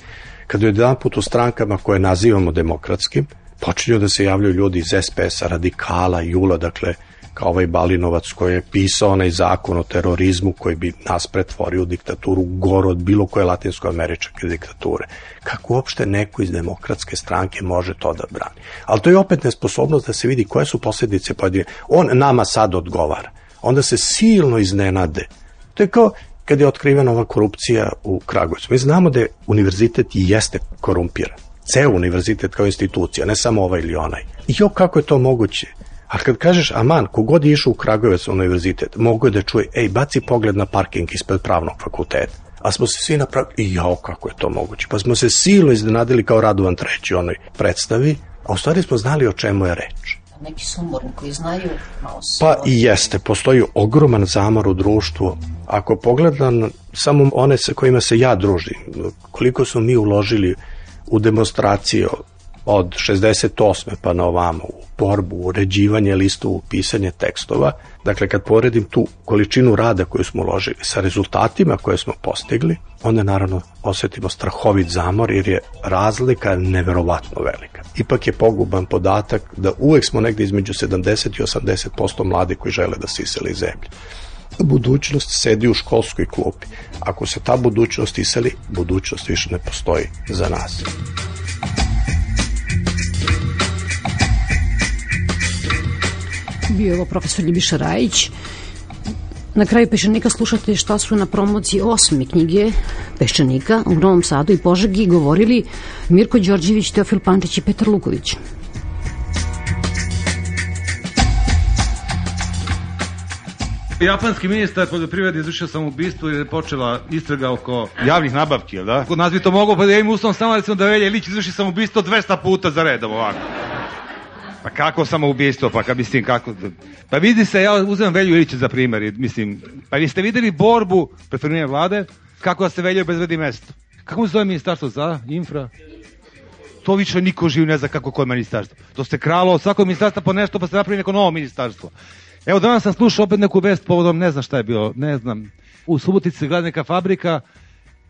kada je jedan put u strankama koje nazivamo demokratskim, počinju da se javljaju ljudi iz SPS-a, radikala, Jula, dakle, kao ovaj Balinovac koji je pisao onaj zakon o terorizmu koji bi nas pretvorio u diktaturu gore od bilo koje latinsko-američke diktature. Kako uopšte neko iz demokratske stranke može to da brani? Ali to je opet nesposobnost da se vidi koje su posljedice pojedine. On nama sad odgovara. Onda se silno iznenade. To je kao kad je otkrivena ova korupcija u Kragujevcu. Mi znamo da je univerzitet i jeste korumpiran. Ceo univerzitet kao institucija, ne samo ovaj ili onaj. I kako je to moguće? A kad kažeš, aman, kogod je išao u Kragujevac na univerzitet, mogu je da čuje, baci pogled na parking ispred pravnog fakulteta. A smo se svi napravili, i kako je to moguće? Pa smo se silno iznenadili kao Radovan III. Onoj predstavi, a u stvari smo znali o čemu je reč. Neki sumorni koji znaju malo se... Pa i jeste, postoji ogroman zamor u društvu. Ako pogledam samo one sa kojima se ja družim, koliko smo mi uložili u demonstracije od 68. pa na ovamo, u borbu, u uređivanje listu, u pisanje tekstova, dakle kad poredim tu količinu rada koju smo uložili sa rezultatima koje smo postigli, onda naravno osetimo strahovit zamor jer je razlika neverovatno velika. Ipak je poguban podatak da uvek smo negde između 70 i 80% mladi koji žele da se isele iz zemlje. Budućnost sedi u školskoj klupi. Ako se ta budućnost iseli, budućnost više ne postoji za nas. Bio je ovo profesor Ljubiša Rajić. Na kraju Peščanika slušate šta su na promociji 8. knjige Peščanika u Novom Sadu i Požegi govorili Mirko Đorđević, Teofil Pančić i Petar Luković. Japanski ministar poljoprivrede izvršio samoubistvo jer je počela istraga oko javnih nabavki, jel da? Kod nas bi to moglo, pa da im uslovom samo recimo da Velja Ilić izvrši samoubistvo 200 puta za redom ovako. Pa kako samoubistvo, pa mislim kako... Pa vidi se, ja uzem Velju Ilića za primjer, mislim, pa vi ste videli borbu preferiranja vlade, kako da se Velja obezbedi mesto. Kako se zove ministarstvo za infra? To više niko živ ne zna kako koje ministarstvo. To se kralo od svakog ministarstva po nešto, pa se napravi neko novo ministarstvo. Evo danas sam slušao opet neku vest povodom, ne znam šta je bilo, ne znam, u Subotici se gleda neka fabrika,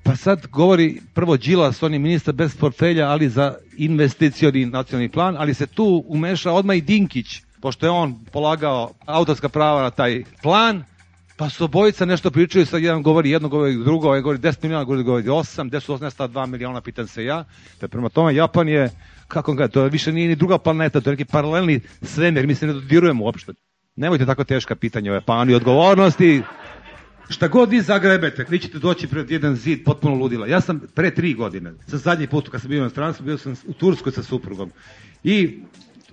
pa sad govori prvo Đilas, on je ministar bez portfelja, ali za investicioni nacionalni plan, ali se tu umeša odmah i Dinkić, pošto je on polagao autorska prava na taj plan, pa su obojica nešto pričaju, sad jedan govori jedno, govori drugo, ovaj govori 10 miliona, govori 8, gde su nestala 2 miliona, pitan se ja. Te prema tome, Japan je, kako ga, to više nije ni druga planeta, to je neki paralelni svemir, mi se ne dodirujemo uopšte. Nemojte tako teška pitanja o Japanu i odgovornosti. Šta god vi zagrebete, vi ćete doći pred jedan zid potpuno ludila. Ja sam pre 3 godine, sa zadnji put kad sam bio na stranstvu, bio sam u Turskoj sa suprugom. I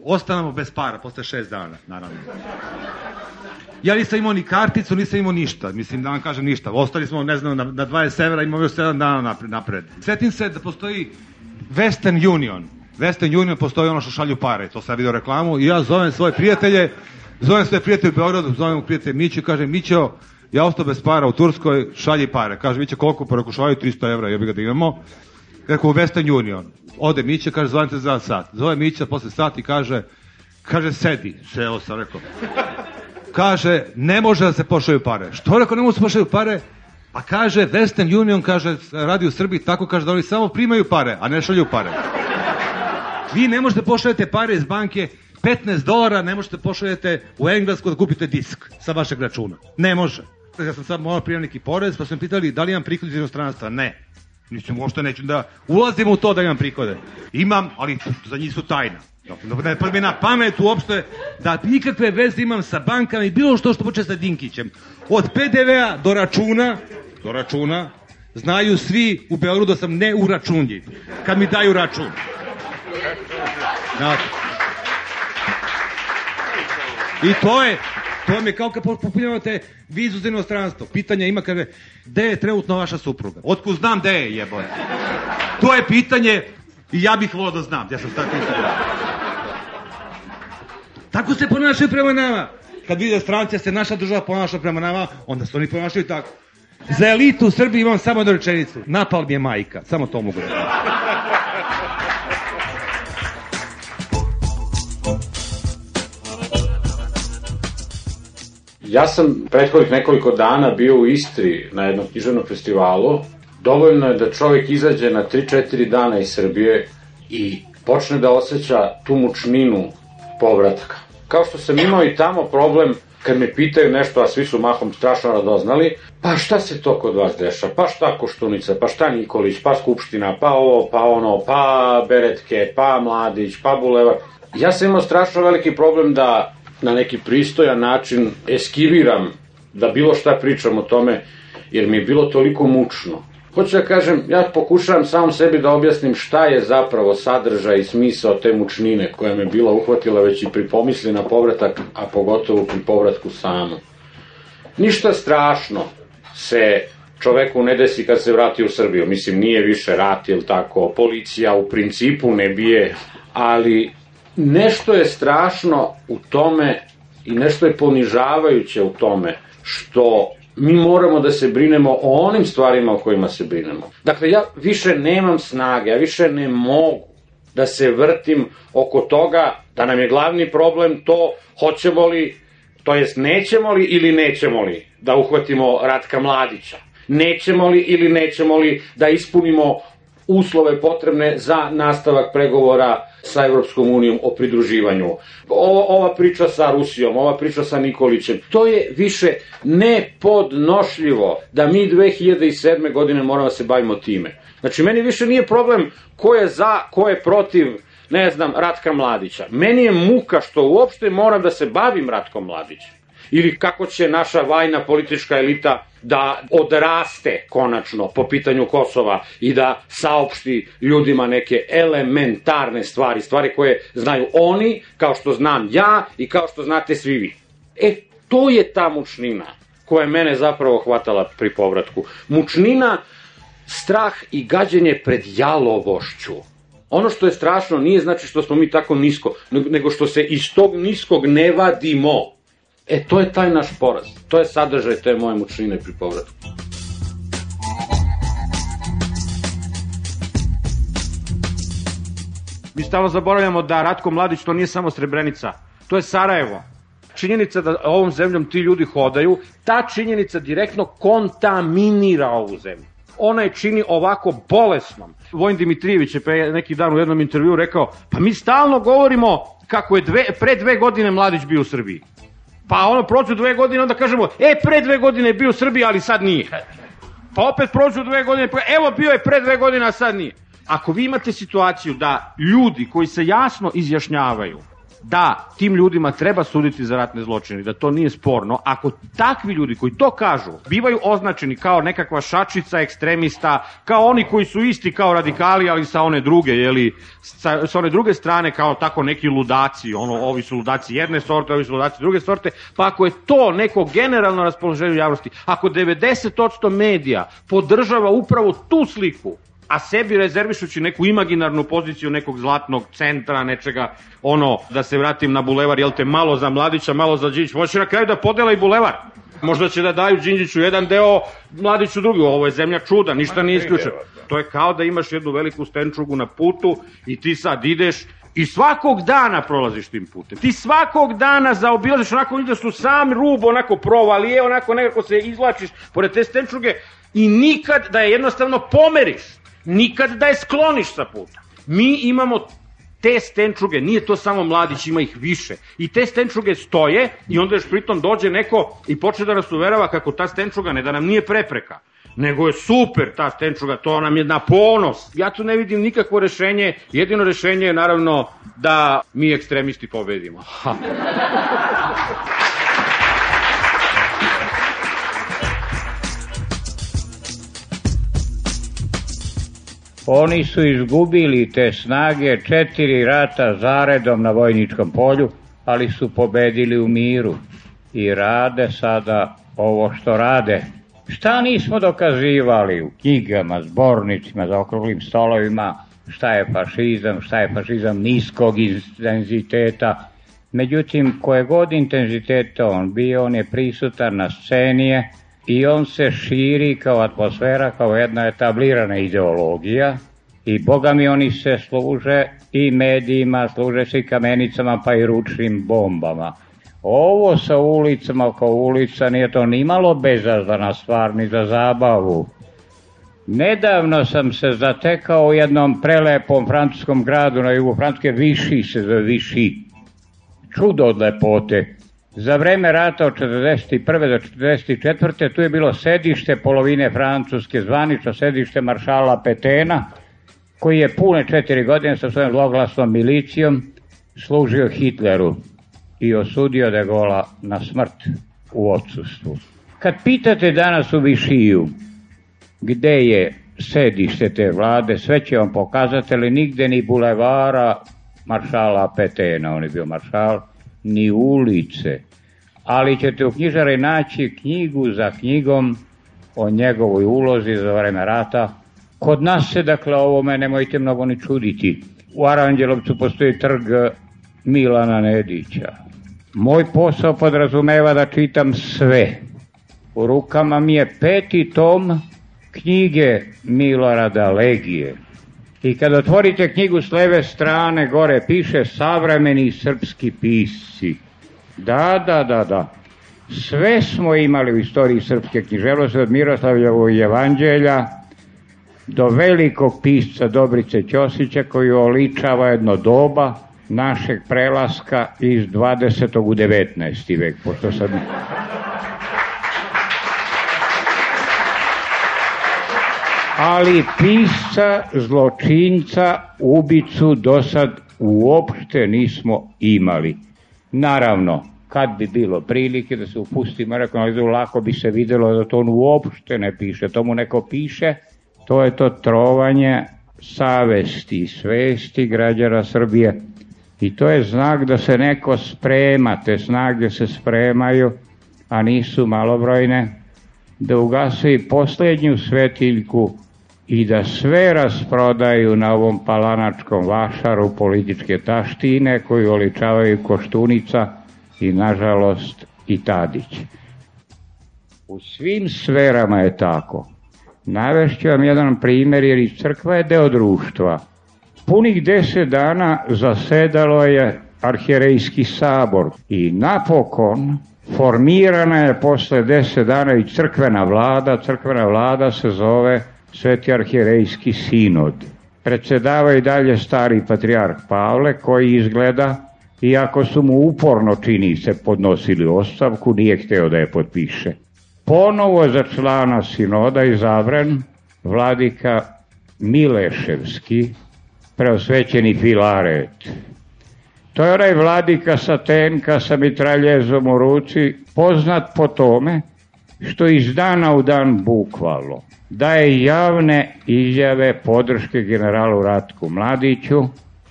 ostanemo bez para, posle 6 dana, naravno. Ja nisam imao ni karticu, nisam imao ništa, mislim da vam kažem ništa. Ostali smo, ne znam, na 20 evra, imamo još 7 dana napred. Sjetim se da postoji Western Union. Western Union postoji ono što šalju pare, to sam vidio reklamu i ja zovem svoje prijatelje u Beogradu, zovem prijatelje Miću i kažem, Mićo, ja ostao bez para u Turskoj, šalji pare. Kaže, Miće, koliko pa reko, šalju 300 evra, ja bi ga da imamo. Rekao, u Western Union. Ode Miće, kaže, zovem za sat. Zove Mića posle sat i kaže, sedi. Seo sam, rekao. Kaže, ne može da se pošalju pare. Što rekao, ne može da se pošalju pare? Pa kaže, Western Union, kaže, radi u Srbiji tako, kaže da oni samo primaju pare, a ne šalju pare. Vi ne možete pošaljete pare iz banke, $15 ne možete pošaljete u Englesku da kupite disk sa vašeg računa. Ne može. Ja sam sad morao prijaviti neki porez, pa su me pitali da li imam prihod iz inostranstva. Ne. Nisam uopšte neću da ulazim u to da imam prihode. Imam, ali za njih su tajna. Ne prvi na pamet uopšte da nikakve veze imam sa bankama i bilo što počne sa Dinkićem. Od PDV-a do računa, znaju svi u Beogradu da sam neuračunljiv. Kad mi daju račun. Znate. I to je kao kad popunjavate vizu za inostranstvo. Pitanje ima, kaže, gde je trenutno vaša supruga? Otkud znam gde je, jebote? To je pitanje i ja bih volao da znam. Ja sam tako pitanje. Tako se ponašaju prema nama. Kad vide stranci se naša država ponaša prema nama, onda se oni ponašaju tako. Za elitu u Srbiji imam samo jednu rečenicu. Napal mi je majka. Samo to mogu da kažem. Ja sam prethodnih nekoliko dana bio u Istri na jednom književnom festivalu. Dovoljno je da čovjek izađe na 3-4 dana iz Srbije i počne da osjeća tu mučninu povratka. Kao što sam imao i tamo problem kad me pitaju nešto, a svi su mahom strašno radoznali, pa šta se to kod vas deša, pa šta Koštunica, pa šta Nikolić, pa Skupština, pa ovo, pa ono, pa Beretke, pa Mladić, pa Bulevar. Ja sam imao strašno veliki problem da na neki pristojan način eskiviram, da bilo šta pričam o tome, jer mi je bilo toliko mučno. Hoću da kažem, ja pokušavam samom sebi da objasnim šta je zapravo sadržaj i smisao te mučnine koja me bila uhvatila već i pri pomisli na povratak, a pogotovo pri povratku samo. Ništa strašno se čoveku ne desi kad se vrati u Srbiju. Mislim, nije više rat, ili tako, policija u principu ne bije, ali nešto je strašno u tome i nešto je ponižavajuće u tome što mi moramo da se brinemo o onim stvarima o kojima se brinemo. Dakle, ja više nemam snage, ja više ne mogu da se vrtim oko toga da nam je glavni problem to hoćemo li, to jest nećemo li ili nećemo li da uhvatimo Ratka Mladića. Nećemo li ili nećemo li da ispunimo uslove potrebne za nastavak pregovora sa Evropskom unijom o pridruživanju. Ova priča sa Rusijom, ova priča sa Nikolićem, to je više nepodnošljivo da mi 2007. godine moramo da se bavimo time. Znači, meni više nije problem ko je za, ko je protiv, ne znam, Ratka Mladića. Meni je muka što uopšte moram da se bavim Ratkom Mladićem. Ili kako će naša vajna politička elita da odraste konačno po pitanju Kosova i da saopšti ljudima neke elementarne stvari, stvari koje znaju oni, kao što znam ja i kao što znate svi vi. To je ta mučnina koja je mene zapravo hvatala pri povratku. Mučnina, strah i gađenje pred jalovošću. Ono što je strašno nije znači što smo mi tako nisko, nego što se iz tog niskog ne vadimo. To je taj naš poraz. To je sadržaj te moje mučnine pri povratku. Mi stalno zaboravljamo da Ratko Mladić to nije samo Srebrenica. To je Sarajevo. Činjenica da ovom zemljom ti ljudi hodaju, ta činjenica direktno kontaminira ovu zemlju. Ona je čini ovako bolesnom. Vojin Dimitrijević je pre neki dan u jednom intervjuu rekao, pa mi stalno govorimo kako je pre 2 godine Mladić bio u Srbiji. Pa prođu 2 godine, onda kažemo, pre 2 godine je bio u Srbiji, ali sad nije. Pa opet prođu 2 godine, evo bio je pre 2 godine, a sad nije. Ako vi imate situaciju da ljudi koji se jasno izjašnjavaju da tim ljudima treba suditi za ratne zločine, da to nije sporno, ako takvi ljudi koji to kažu bivaju označeni kao nekakva šačica ekstremista, kao oni koji su isti kao radikali, ali sa one druge, sa one druge strane kao tako neki ludaci, ovi su ludaci jedne sorte, ovi su ludaci druge sorte, pa ako je to neko generalno raspoloženje u javnosti, ako 90% medija podržava upravo tu sliku, a sebi rezervišući neku imaginarnu poziciju nekog zlatnog centra, nečega, da se vratim na Bulevar, jel te, malo za Mladića, malo za Đinđića, možda će na kraju da podela i Bulevar. Možda će da daju Đinđiću jedan deo, Mladiću drugi. Ovo je zemlja čuda, ništa nije isključeno. To je kao da imaš jednu veliku stenčugu na putu i ti sad ideš i svakog dana prolaziš tim putem. Ti svakog dana zaobilaziš, onako da su sam rub, onako provalije, onako nekako se izvlačiš pored te stenčuge i nikad da je jednostavno pomeriš. Nikad da je skloniš sa puta. Mi imamo te stenčuge, nije to samo Mladić, ima ih više. I te stenčuge stoje i onda još pritom dođe neko i počne da nas uverava kako ta stenčuga ne da nam nije prepreka, nego je super ta stenčuga, to nam je na ponos. Ja tu ne vidim nikakvo rešenje, jedino rešenje je naravno da mi ekstremisti pobedimo. Oni su izgubili te snage 4 rata zaredom na vojničkom polju, ali su pobedili u miru i rade sada ovo što rade. Šta nismo dokazivali u knjigama, zbornicima, za okruglim stolovima, šta je fašizam niskog intenziteta. Međutim, koje god intenziteta on bio, on je prisutan na sceni i on se širi kao atmosfera, kao jedna etablirana ideologija i boga mi oni se služe i medijima, služe se i kamenicama pa i ručnim bombama. Ovo sa ulicama kao ulica nije to nimalo bezazdana stvar ni za zabavu. Nedavno sam se zatekao u jednom prelepom francuskom gradu na jugu Francuske, Vichy se zove Vichy. Čudo od lepote. Za vreme rata od 41. do 44. tu je bilo sedište polovine Francuske, zvanično sedište maršala Petena, koji je pune 4 godine sa svojom zloglasnom milicijom služio Hitleru i osudio De Gaulea na smrt u odsustvu. Kad pitate danas u Višiju gde je sedište te vlade, sve će vam pokazati, ali nigde ni bulevara maršala Petena, on je bio maršal, ni ulice. Ali ćete u knjižari naći knjigu za knjigom o njegovoj ulozi za vreme rata. Kod nas se, dakle, ovome nemojte mnogo ni čuditi. U Aranđelovcu postoji trg Milana Nedića. Moj posao podrazumeva da čitam sve. U rukama mi je 5. tom knjige Milorada Legije. I kad otvorite knjigu s leve strane, gore piše savremeni srpski pisci. Da. Sve smo imali u istoriji srpske književnosti, od Miroslavljevog evanđelja do velikog pisca Dobrice Ćosića, koji oličava jedno doba našeg prelaska iz 20. u 19. vek, pošto sam... Ali pisca, zločinca, ubicu do sad uopšte nismo imali. Naravno, kad bi bilo prilike da se upustimo rekonalizu, lako bi se videlo da to on uopšte ne piše. To mu neko piše, to je to trovanje savesti i svesti građana Srbije. I to je znak da se neko sprema, te snage se spremaju, a nisu malobrojne, da ugase i posljednju svetiljku i da sve rasprodaju na ovom palanačkom vašaru političke taštine koju oličavaju Koštunica i, nažalost, i Tadić. U svim sferama je tako. Navešću vam jedan primjer, jer i crkva je deo društva. Punih 10 dana zasedalo je arhijerejski sabor i napokon formirana je posle 10 dana i crkvena vlada. Crkvena vlada se zove Sveti arhijerejski sinod. Predsedava i dalje stari patrijarh Pavle, koji izgleda, iako su mu uporno, čini se, podnosili ostavku, nije hteo da je potpiše. Ponovo za člana sinoda izabran vladika Mileševski, preosvećeni Filaret. To je onaj vladika sa tenka sa mitraljezom u ruci, poznat po tome što iz dana u dan bukvalno daje javne izjave podrške generalu Ratku Mladiću,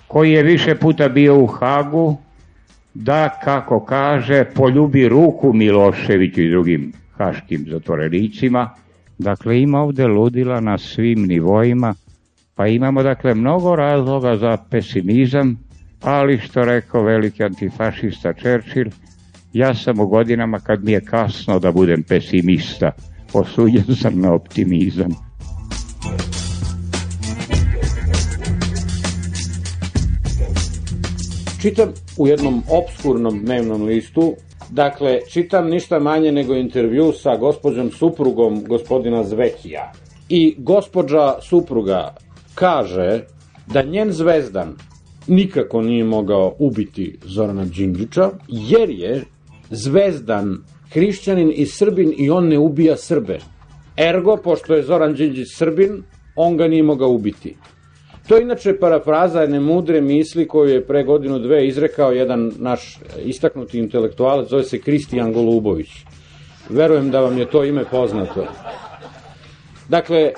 koji je više puta bio u Hagu, da, kako kaže, poljubi ruku Miloševiću i drugim haškim zatvorenicima. Dakle, ima ovde ludila na svim nivoima, pa imamo, dakle, mnogo razloga za pesimizam, ali što rekao veliki antifašista Churchill, ja sam u godinama kad mi je kasno da budem pesimista, osuđen sam na optimizam. Čitam u jednom opskurnom dnevnom listu, dakle, čitam ništa manje nego intervju sa gospođom suprugom gospodina Zvekija. I gospođa supruga kaže da njen Zvezdan nikako nije mogao ubiti Zorana Đinđića, jer je Zvezdan hrišćanin i Srbin i on ne ubija Srbe. Ergo, pošto je Zoran Đinđić Srbin, on ga nije mogao ubiti. To je inače parafraza jedne mudre misli koju je pre 1-2 izrekao jedan naš istaknuti intelektualac, zove se Kristijan Golubović. Verujem da vam je to ime poznato. Dakle,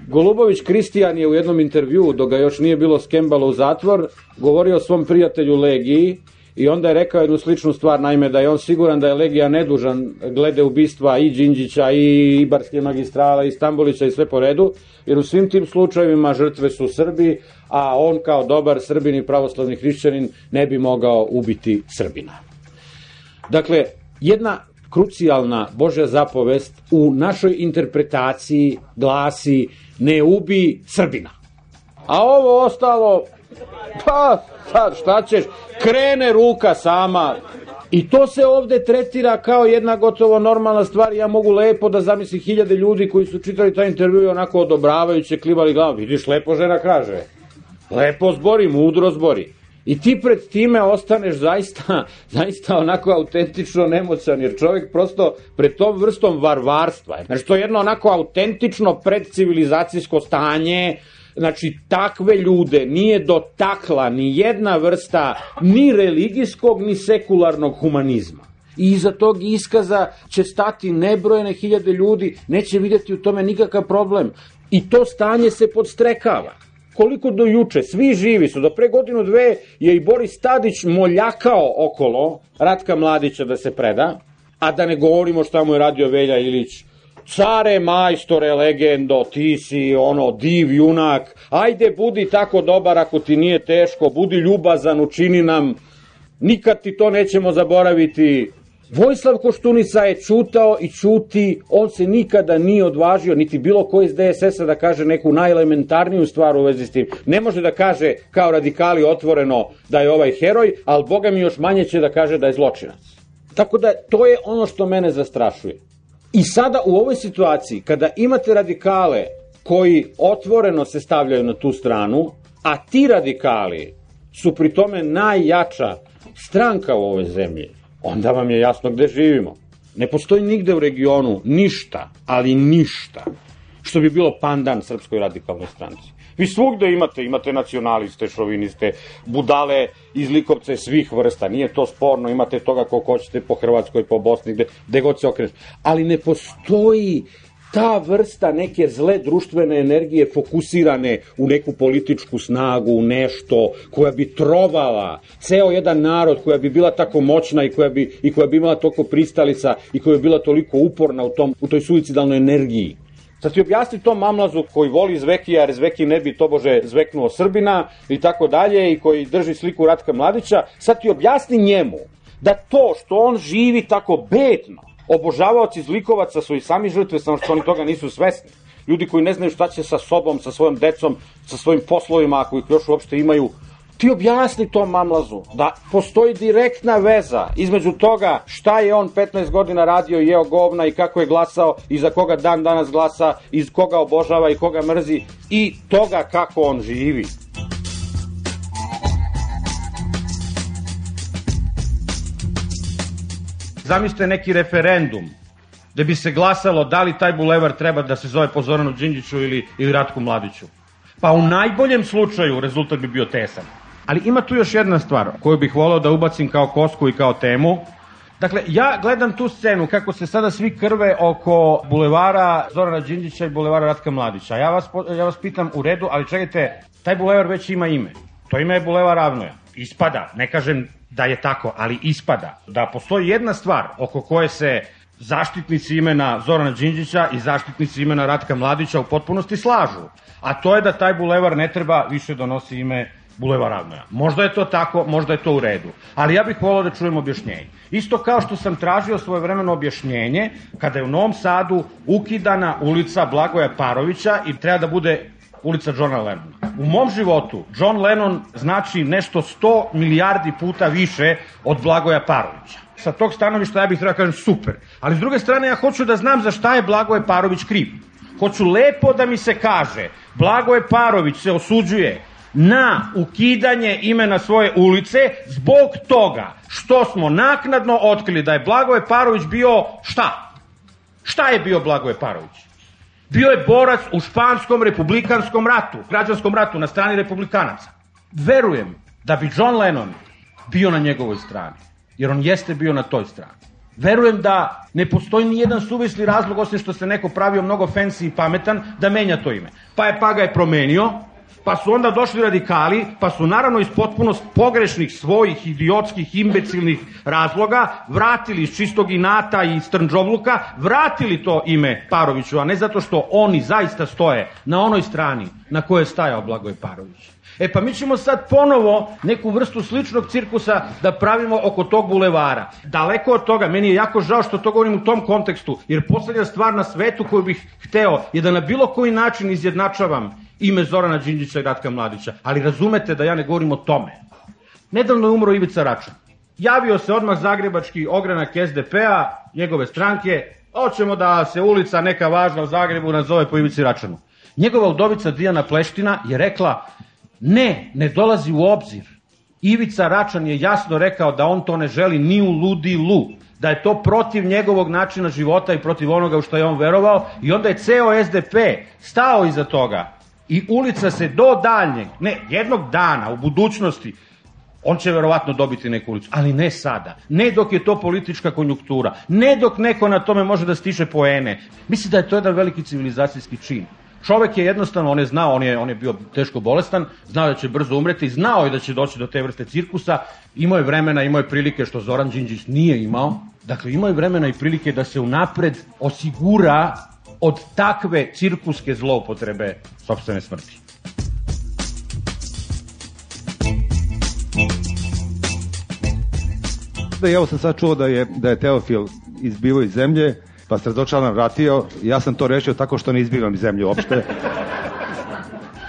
Golubović Kristijan je u jednom intervjuu, dok ga još nije bilo skembalo u zatvor, govorio o svom prijatelju Legiji i onda je rekao jednu sličnu stvar, naime da je on siguran da je Legija nedužan glede ubistva i Đinđića i Ibarske magistrale i Stambolića i sve po redu, jer u svim tim slučajevima žrtve su Srbi, a on kao dobar Srbin i pravoslavni hrišćanin ne bi mogao ubiti Srbina. Dakle, jedna krucijalna Božja zapovest u našoj interpretaciji glasi ne ubi Srbina. A ovo ostalo, pa sad šta ćeš, krene ruka sama. I to se ovde tretira kao jedna gotovo normalna stvar. Ja mogu lepo da zamislim 1000 ljudi koji su čitali taj intervju i onako odobravajuće klivali glavom. Vidiš, lepo žena kaže. Lepo zbori, mudro zbori. I ti pred time ostaneš zaista onako autentično nemoćan, jer čovjek prosto pred tom vrstom varvarstva, znači to je jedno onako autentično predcivilizacijsko stanje, znači takve ljude nije dotakla ni jedna vrsta ni religijskog ni sekularnog humanizma. I iza tog iskaza će stati nebrojene 1000 ljudi, neće vidjeti u tome nikakav problem. I to stanje se podstrekava. Koliko do juče, svi živi su, do pre 1-2 je i Boris Tadić moljakao okolo Ratka Mladića da se preda, a da ne govorimo šta mu je radio Velja Ilić. Care, majstore, legendo, ti si div, junak, ajde budi tako dobar ako ti nije teško, budi ljubazan, učini nam, nikad ti to nećemo zaboraviti. Vojislav Koštunica je ćutao i ćuti, on se nikada nije odvažio, niti bilo ko iz DSS-a da kaže neku najelementarniju stvar u vezi s tim. Ne može da kaže kao radikali otvoreno da je ovaj heroj, ali Boga mi još manje će da kaže da je zločinac. Tako da to je ono što mene zastrašuje. I sada u ovoj situaciji, kada imate radikale koji otvoreno se stavljaju na tu stranu, a ti radikali su pri tome najjača stranka u ovoj zemlji, onda vam je jasno gde živimo. Ne postoji nigde u regionu ništa, ali ništa, što bi bilo pandan Srpskoj radikalnoj stranci. Vi svugde imate nacionaliste, šoviniste, budale iz Likovca svih vrsta, nije to sporno, imate toga koliko hoćete po Hrvatskoj, po Bosni, gde god se okreneš. Ali ne postoji ta vrsta neke zle društvene energije fokusirane u neku političku snagu, u nešto, koja bi trovala ceo jedan narod, koja bi bila tako moćna i koja bi imala toliko pristalica i koja bi bila toliko uporna u toj suicidalnoj energiji. Sad ti objasni tom mamlazu koji voli Zvekija, jer Zveki ne bi tobože zveknuo Srbina i tako dalje, i koji drži sliku Ratka Mladića, sad ti objasni njemu da to što on živi tako bedno, obožavaoci zlikovaca su i sami žrtve, samo što oni toga nisu svesni. Ljudi koji ne znaju šta će sa sobom, sa svojom decom, sa svojim poslovima, ako ih još uopšte imaju. Ti objasni tom mamlazu da postoji direktna veza između toga šta je on 15 godina radio i jeo govna i kako je glasao i za koga dan danas glasa, iz koga obožava i koga mrzi, i toga kako on živi. Zamislite neki referendum gde bi se glasalo da li taj bulevar treba da se zove po Zoranu Đinđiću ili Ratku Mladiću. Pa u najboljem slučaju rezultat bi bio tesan. Ali ima tu još jedna stvar koju bih voleo da ubacim kao kosku i kao temu. Dakle, ja gledam tu scenu kako se sada svi krve oko bulevara Zorana Đinđića i bulevara Ratka Mladića. Ja vas pitam, u redu, ali čekajte, taj bulevar već ima ime. To ime je bulevar Avnoja. Ispada, ne kažem da je tako, ali ispada da postoji jedna stvar oko koje se zaštitnici imena Zorana Đinđića i zaštitnici imena Ratka Mladića u potpunosti slažu. A to je da taj bulevar ne treba više donosi ime bulevar Avnoja. Možda je to tako, možda je to u redu. Ali ja bih volao da čujem objašnjenje. Isto kao što sam tražio svojevremeno objašnjenje kada je u Novom Sadu ukidana ulica Blagoja Parovića i treba da bude ulica Johna Lennona. U mom životu John Lennon znači nešto 100 milijardi puta više od Blagoja Parovića. Sa tog stanovišta ja bih trebao kažem super. Ali s druge strane ja hoću da znam za šta je Blagoje Parović kriv. Hoću lepo da mi se kaže Blagoje Parović se osuđuje na ukidanje imena svoje ulice zbog toga što smo naknadno otkrili da je Blagoje Parović bio šta? Šta je bio Blagoje Parović? Bio je borac u španskom republikanskom ratu, građanskom ratu na strani republikanaca. Verujem da bi John Lennon bio na njegovoj strani, jer on jeste bio na toj strani. Verujem da ne postoji ni jedan suvisli razlog, osim što se neko pravio mnogo fancy i pametan, da menja to ime. Pa ga je promenio Pa su onda došli radikali, pa su naravno iz potpuno pogrešnih svojih idiotskih, imbecilnih razloga vratili iz čistog inata i strnđovluka, vratili to ime Paroviću, a ne zato što oni zaista stoje na onoj strani na kojoj je stajao Blagoje Parović. Pa mi ćemo sad ponovo neku vrstu sličnog cirkusa da pravimo oko tog bulevara. Daleko od toga, meni je jako žao što to govorim u tom kontekstu, jer poslednja stvar na svetu koju bih hteo je da na bilo koji način izjednačavam ime Zorana Đinđića i Ratka Mladića, ali razumete da ja ne govorim o tome. Nedavno je umro Ivica Račan. Javio se odmah zagrebački ogranak SDP-a, njegove stranke, hoćemo da se ulica neka važna u Zagrebu nazove po Ivici Račanu. Njegova udovica Dijana Pleština je rekla, ne dolazi u obzir. Ivica Račan je jasno rekao da on to ne želi ni u ludilu, da je to protiv njegovog načina života i protiv onoga u što je on verovao, i onda je ceo SDP stao iza toga i ulica se do daljnjeg, ne, jednog dana u budućnosti, on će verovatno dobiti neku ulicu, ali ne sada, ne dok je to politička konjunktura, ne dok neko na tome može da stiže poene. Mislim da je to jedan veliki civilizacijski čin. Čovek je jednostavno, on je znao, on je bio teško bolestan, znao da će brzo umreti, znao je da će doći do te vrste cirkusa, imao je vremena, imao je prilike što Zoran Đinđić nije imao, dakle imao je vremena i prilike da se unapred osigura od takve cirkuske zloupotrebe sopstvene smrti. Evo sam sad čuo da je Teofil izbivao iz zemlje, pa se razočaran vratio. Ja sam to rešio tako što ne izbivam iz zemlje uopšte.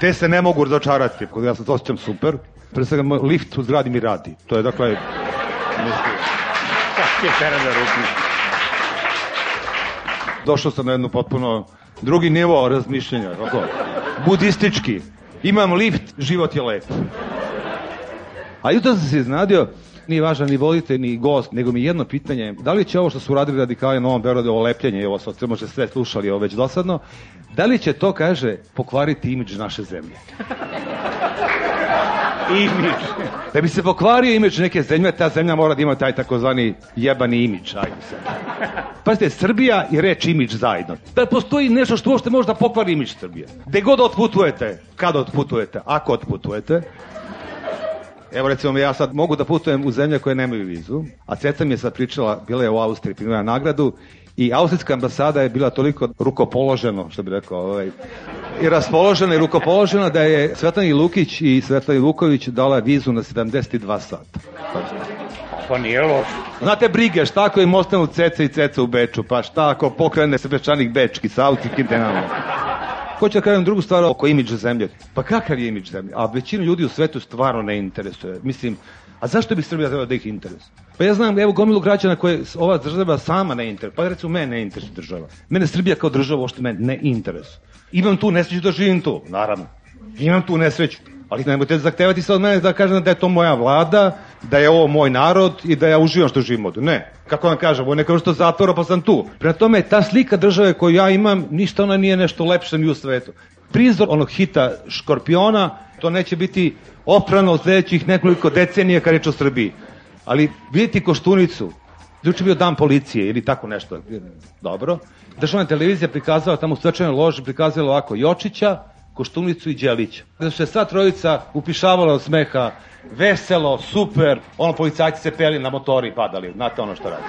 Te se ne mogu razočarati, ja sam to osjećam super. Pre svega lift u zgradi mi radi. To je dakle... Došao sam na jednu potpuno drugi nivo razmišljenja, budistički. Imam lift, život je lep. A jutro sam se iznadio, nije važan ni voditelj, ni gost, nego mi jedno pitanje, da li će ovo što su uradili radikali na Novom Beogradu, ovo lepljenje, ovo sad možda sve slušali, ovo već dosadno, da li će to, kaže, pokvariti imidž naše zemlje? Imidž. Da bi se pokvario imidž neke zemlje, ta zemlja mora da ima taj takozvani jebani imidž, ajde se. Pazite, Srbija i reč imidž zajedno. Da postoji nešto što uopšte može da pokvari imidž Srbije. Gde god otputujete, kada otputujete, ako otputujete, evo recimo ja sad mogu da putujem u zemlje koje nemaju vizu, a Ceca mi je sad pričala, bila je u Austriji, primila nagradu i austrijska ambasada je bila toliko rukopoloženo, što bi rekao, i raspoložena i rukopoložena da je Svetlana Lukić i Svetlana Vuković dala vizu na 72 sata. Pa nije loš. Znate brige, šta ako im ostanu Ceca i Ceca u Beču, pa šta ako pokrene se Bečanik Bečki sa austrijskim denama. Hoću da kažem drugu stvar oko imidža zemlje. Pa kakav je imidž zemlje? A većinu ljudi u svetu stvarno ne interesuje. Mislim, a zašto bi Srbija trebala da ih interesuje? Pa ja znam, evo gomilu građana koje ova država sama ne interesuje. Pa recimo mene ne interesuje država. Mene Srbija kao država uopšte mene ne interesuje. Imam tu nesreću da živim tu, naravno. Imam tu nesreću. Ali nemojte zahtevati se od mene da kažem da je to moja vlada, da je ovo moj narod i da ja uživam što živim ovdje. Ne. Kako vam kažem, ovo je neka vrsta zatvora pa sam tu. Prema tome, ta slika države koju ja imam, ništa ona nije nešto lepše ni u svetu. Prizor onog hita Škorpiona, to neće biti oprano od sljedećih nekoliko decenija kad reč o Srbiji. Ali vidite Koštunicu, juče bio dan policije ili tako nešto. Dobro. Državna televizija prikazala tamo u svečanoj loži, prikazala ovako Jočića, Koštunicu i Đelića. Da su se sva trojica upišavala od smeha, veselo, super, ono policajci se peli na motori i padali, znate ono što radi.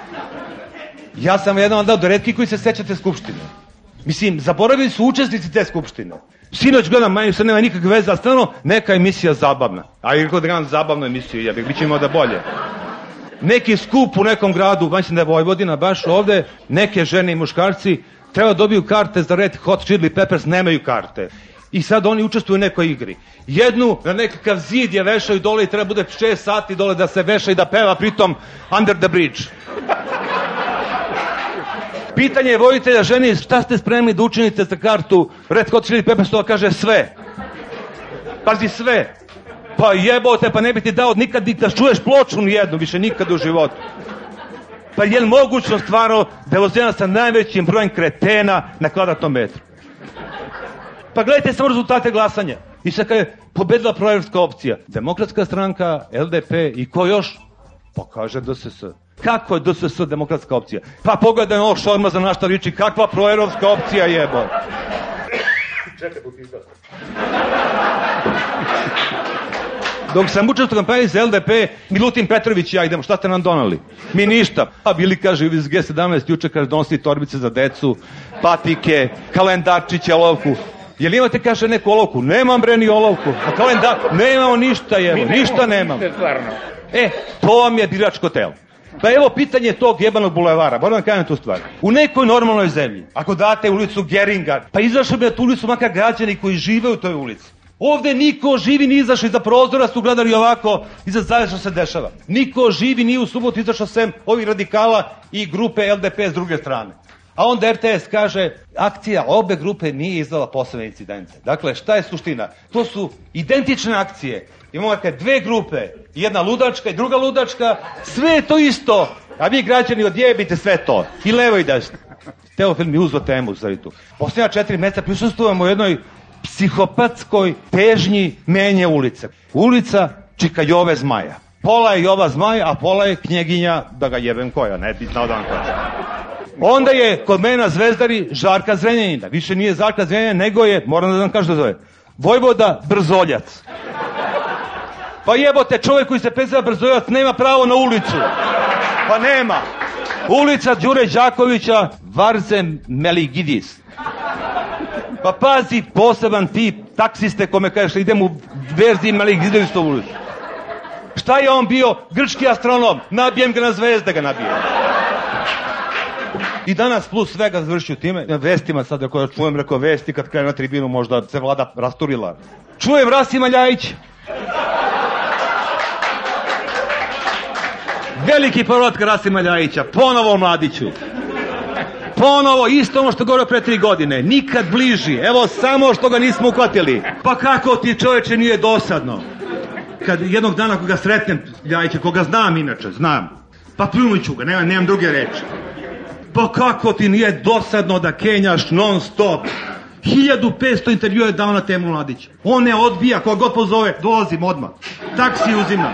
Ja sam jedan od retkih koji se sećate Skupštine. Mislim, zaboravili su učesnici te Skupštine. Sinoć gledam, manje sad nema nikakve veze, ali stvarno neka emisija zabavna. A i kako da gledam zabavnu emisiju, jebik, bit ćemo da bolje. Neki skup u nekom gradu, mislim da je Vojvodina, baš ovde, neke žene i muškarci treba dobiju karte za Red Hot Chili Peppers, nemaju karte. I sad oni učestvuju u nekoj igri. Jednu na nekakav zid je vešaju dole i treba bude 6 sati dole da se veša i da peva pritom Under the Bridge. Pitanje je voditelja ženi, šta ste spremni da učinite za kartu Red Hot Chili Peppers, to kaže sve. Pazi sve. Pa jebote, pa ne bi ti dao nikad da čuješ ploču nijednu, više nikad u životu. Pa je li mogućno stvarno da je vozljena sa najvećim brojem kretena na kvadratnom metru? Pa gledajte samo rezultate glasanja. I sad kada je pobedila proevropska opcija, Demokratska stranka, LDP i ko još? Pa kaže DSS. Kako je DSS demokratska opcija? Pa pogledaj ovo Šormaza na šta liči, kakva proevropska opcija jebo. Dok sam učestvovao u kampanji za LDP, Milutin Petrović i ja idemo, šta ste nam donali? Mi ništa. A bili, kaže, iz G17 juče, kaže, donosili torbice za decu, patike, kalendarčiće, olovku. Jel imate, kaže, neku olovku? Nemam, bre, ni olovku. A kalendar? Nemamo ništa, jevo, ništa nemam. To vam je biračko telo. Pa evo pitanje tog jebanog bulevara, moram da kažem tu stvar. U nekoj normalnoj zemlji, ako date ulicu Geringa, pa izašli bi na tu ulicu makar građani koji žive u toj ulici. Ovde niko živi ni izašao iza prozora, su gledali ovako iza zajedno što se dešava. Niko živi ni u subotu izašao sem ovih radikala i grupe LDP s druge strane. A onda RTS kaže, akcija obe grupe nije izdala posebne incidente. Dakle, šta je suština? To su identične akcije. Imamo dve grupe, jedna ludačka i druga ludačka, sve je to isto. A vi građani odjebite sve to. I levo i desno. Teofil mi uzeo temu za tu. Posljednja 4 meseca prisustvujemo u jednoj psihopatskoj težnji menje ulice. Ulica Čika Jove Zmaja. Pola je Jova Zmaj, a pola je knjeginja, da ga jebem koja, ne bitno od on koja. Onda je kod mene na Zvezdari Žarka Zrenjanina. Više nije Žarka Zrenjanina, nego je, moram da vam kažem da zove, Vojvoda Brzoljac. Pa jebote, čovjek koji se preziva Brzoljac nema pravo na ulicu. Pa nema. Ulica Đure Đakovića, Varzem Meligidis. Pa pazi, poseban tip taksiste kome kažeš idem u verziji Meligidis ulicu. Šta je on bio? Grčki astronom. Nabijem ga na zvezde, ga nabijem. I danas plus svega završio time, na vestima sad, ako čujem rekao vesti, kad krenu na tribinu možda se vlada rasturila. Čujem Rasima Ljajića. Veliki povratak Rasima Ljajića, ponovo Mladiću. Ponovo, isto ono što govorio pre 3 godine, nikad bliži, evo samo što ga nismo uhvatili. Pa kako ti čoveče nije dosadno? Kad jednog dana koga sretnem Ljajića, koga znam inače, znam, pa pljunuću ga, nemam druge reči. Pa kako ti nije dosadno da kenjaš non stop? 1500 intervjua je dao na temu Mladića. On ne odbija, koga god pozove, dolazim odmah. Taksi uzimam.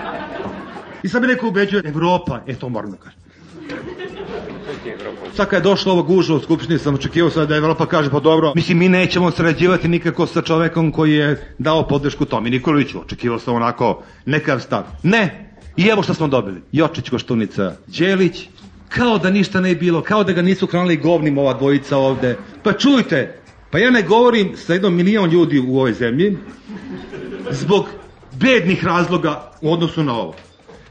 I sad mi neko ubeđuje, Evropa, to moram da kažem. Sad kad je došlo ovo gužva u Skupštini, sam očekivao sad da Evropa kaže, pa dobro, mislim, mi nećemo sarađivati nikako sa čovekom koji je dao podršku Tomi Nikoliću. Očekivao sam onako nekav stav. Ne! I evo što smo dobili. Jočić, Koštunica, Đelić, kao da ništa ne je bilo, kao da ga nisu hranili govnim ova dvojica ovde. Pa čujte, pa ja ne govorim sa 1 milion ljudi u ovoj zemlji zbog bednih razloga u odnosu na ovo.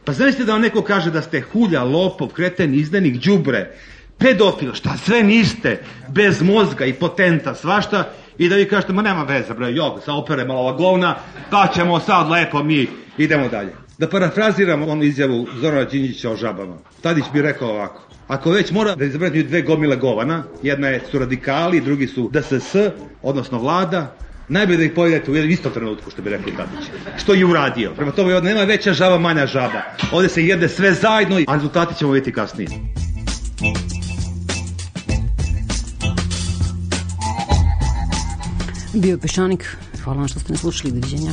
Pa znašte da vam neko kaže da ste hulja, lopov, kreten, izdanik, đubre, pedofil, šta sve niste, bez mozga i potenta, svašta, i da vi kažete, ma nema veze, bre, jog, sa opere malo ova govna, pa ćemo sad lepo mi, idemo dalje. Da parafraziram onu izjavu Zorana Đinđića o žabama. Tadić bi rekao ovako, ako već mora da izabrati 2 gomile govana, jedna su radikali, drugi su DSS, odnosno vlada, najbolje da ih povedete u istom trenutku, što bi rekli Tadić. Što je uradio. Prema tome, nema veća žaba, manja žaba. Ovde se jede sve zajedno, a rezultati ćemo vidjeti kasnije. Bio je Peščanik. Hvala vam što ste ne slušali. Doviđenja.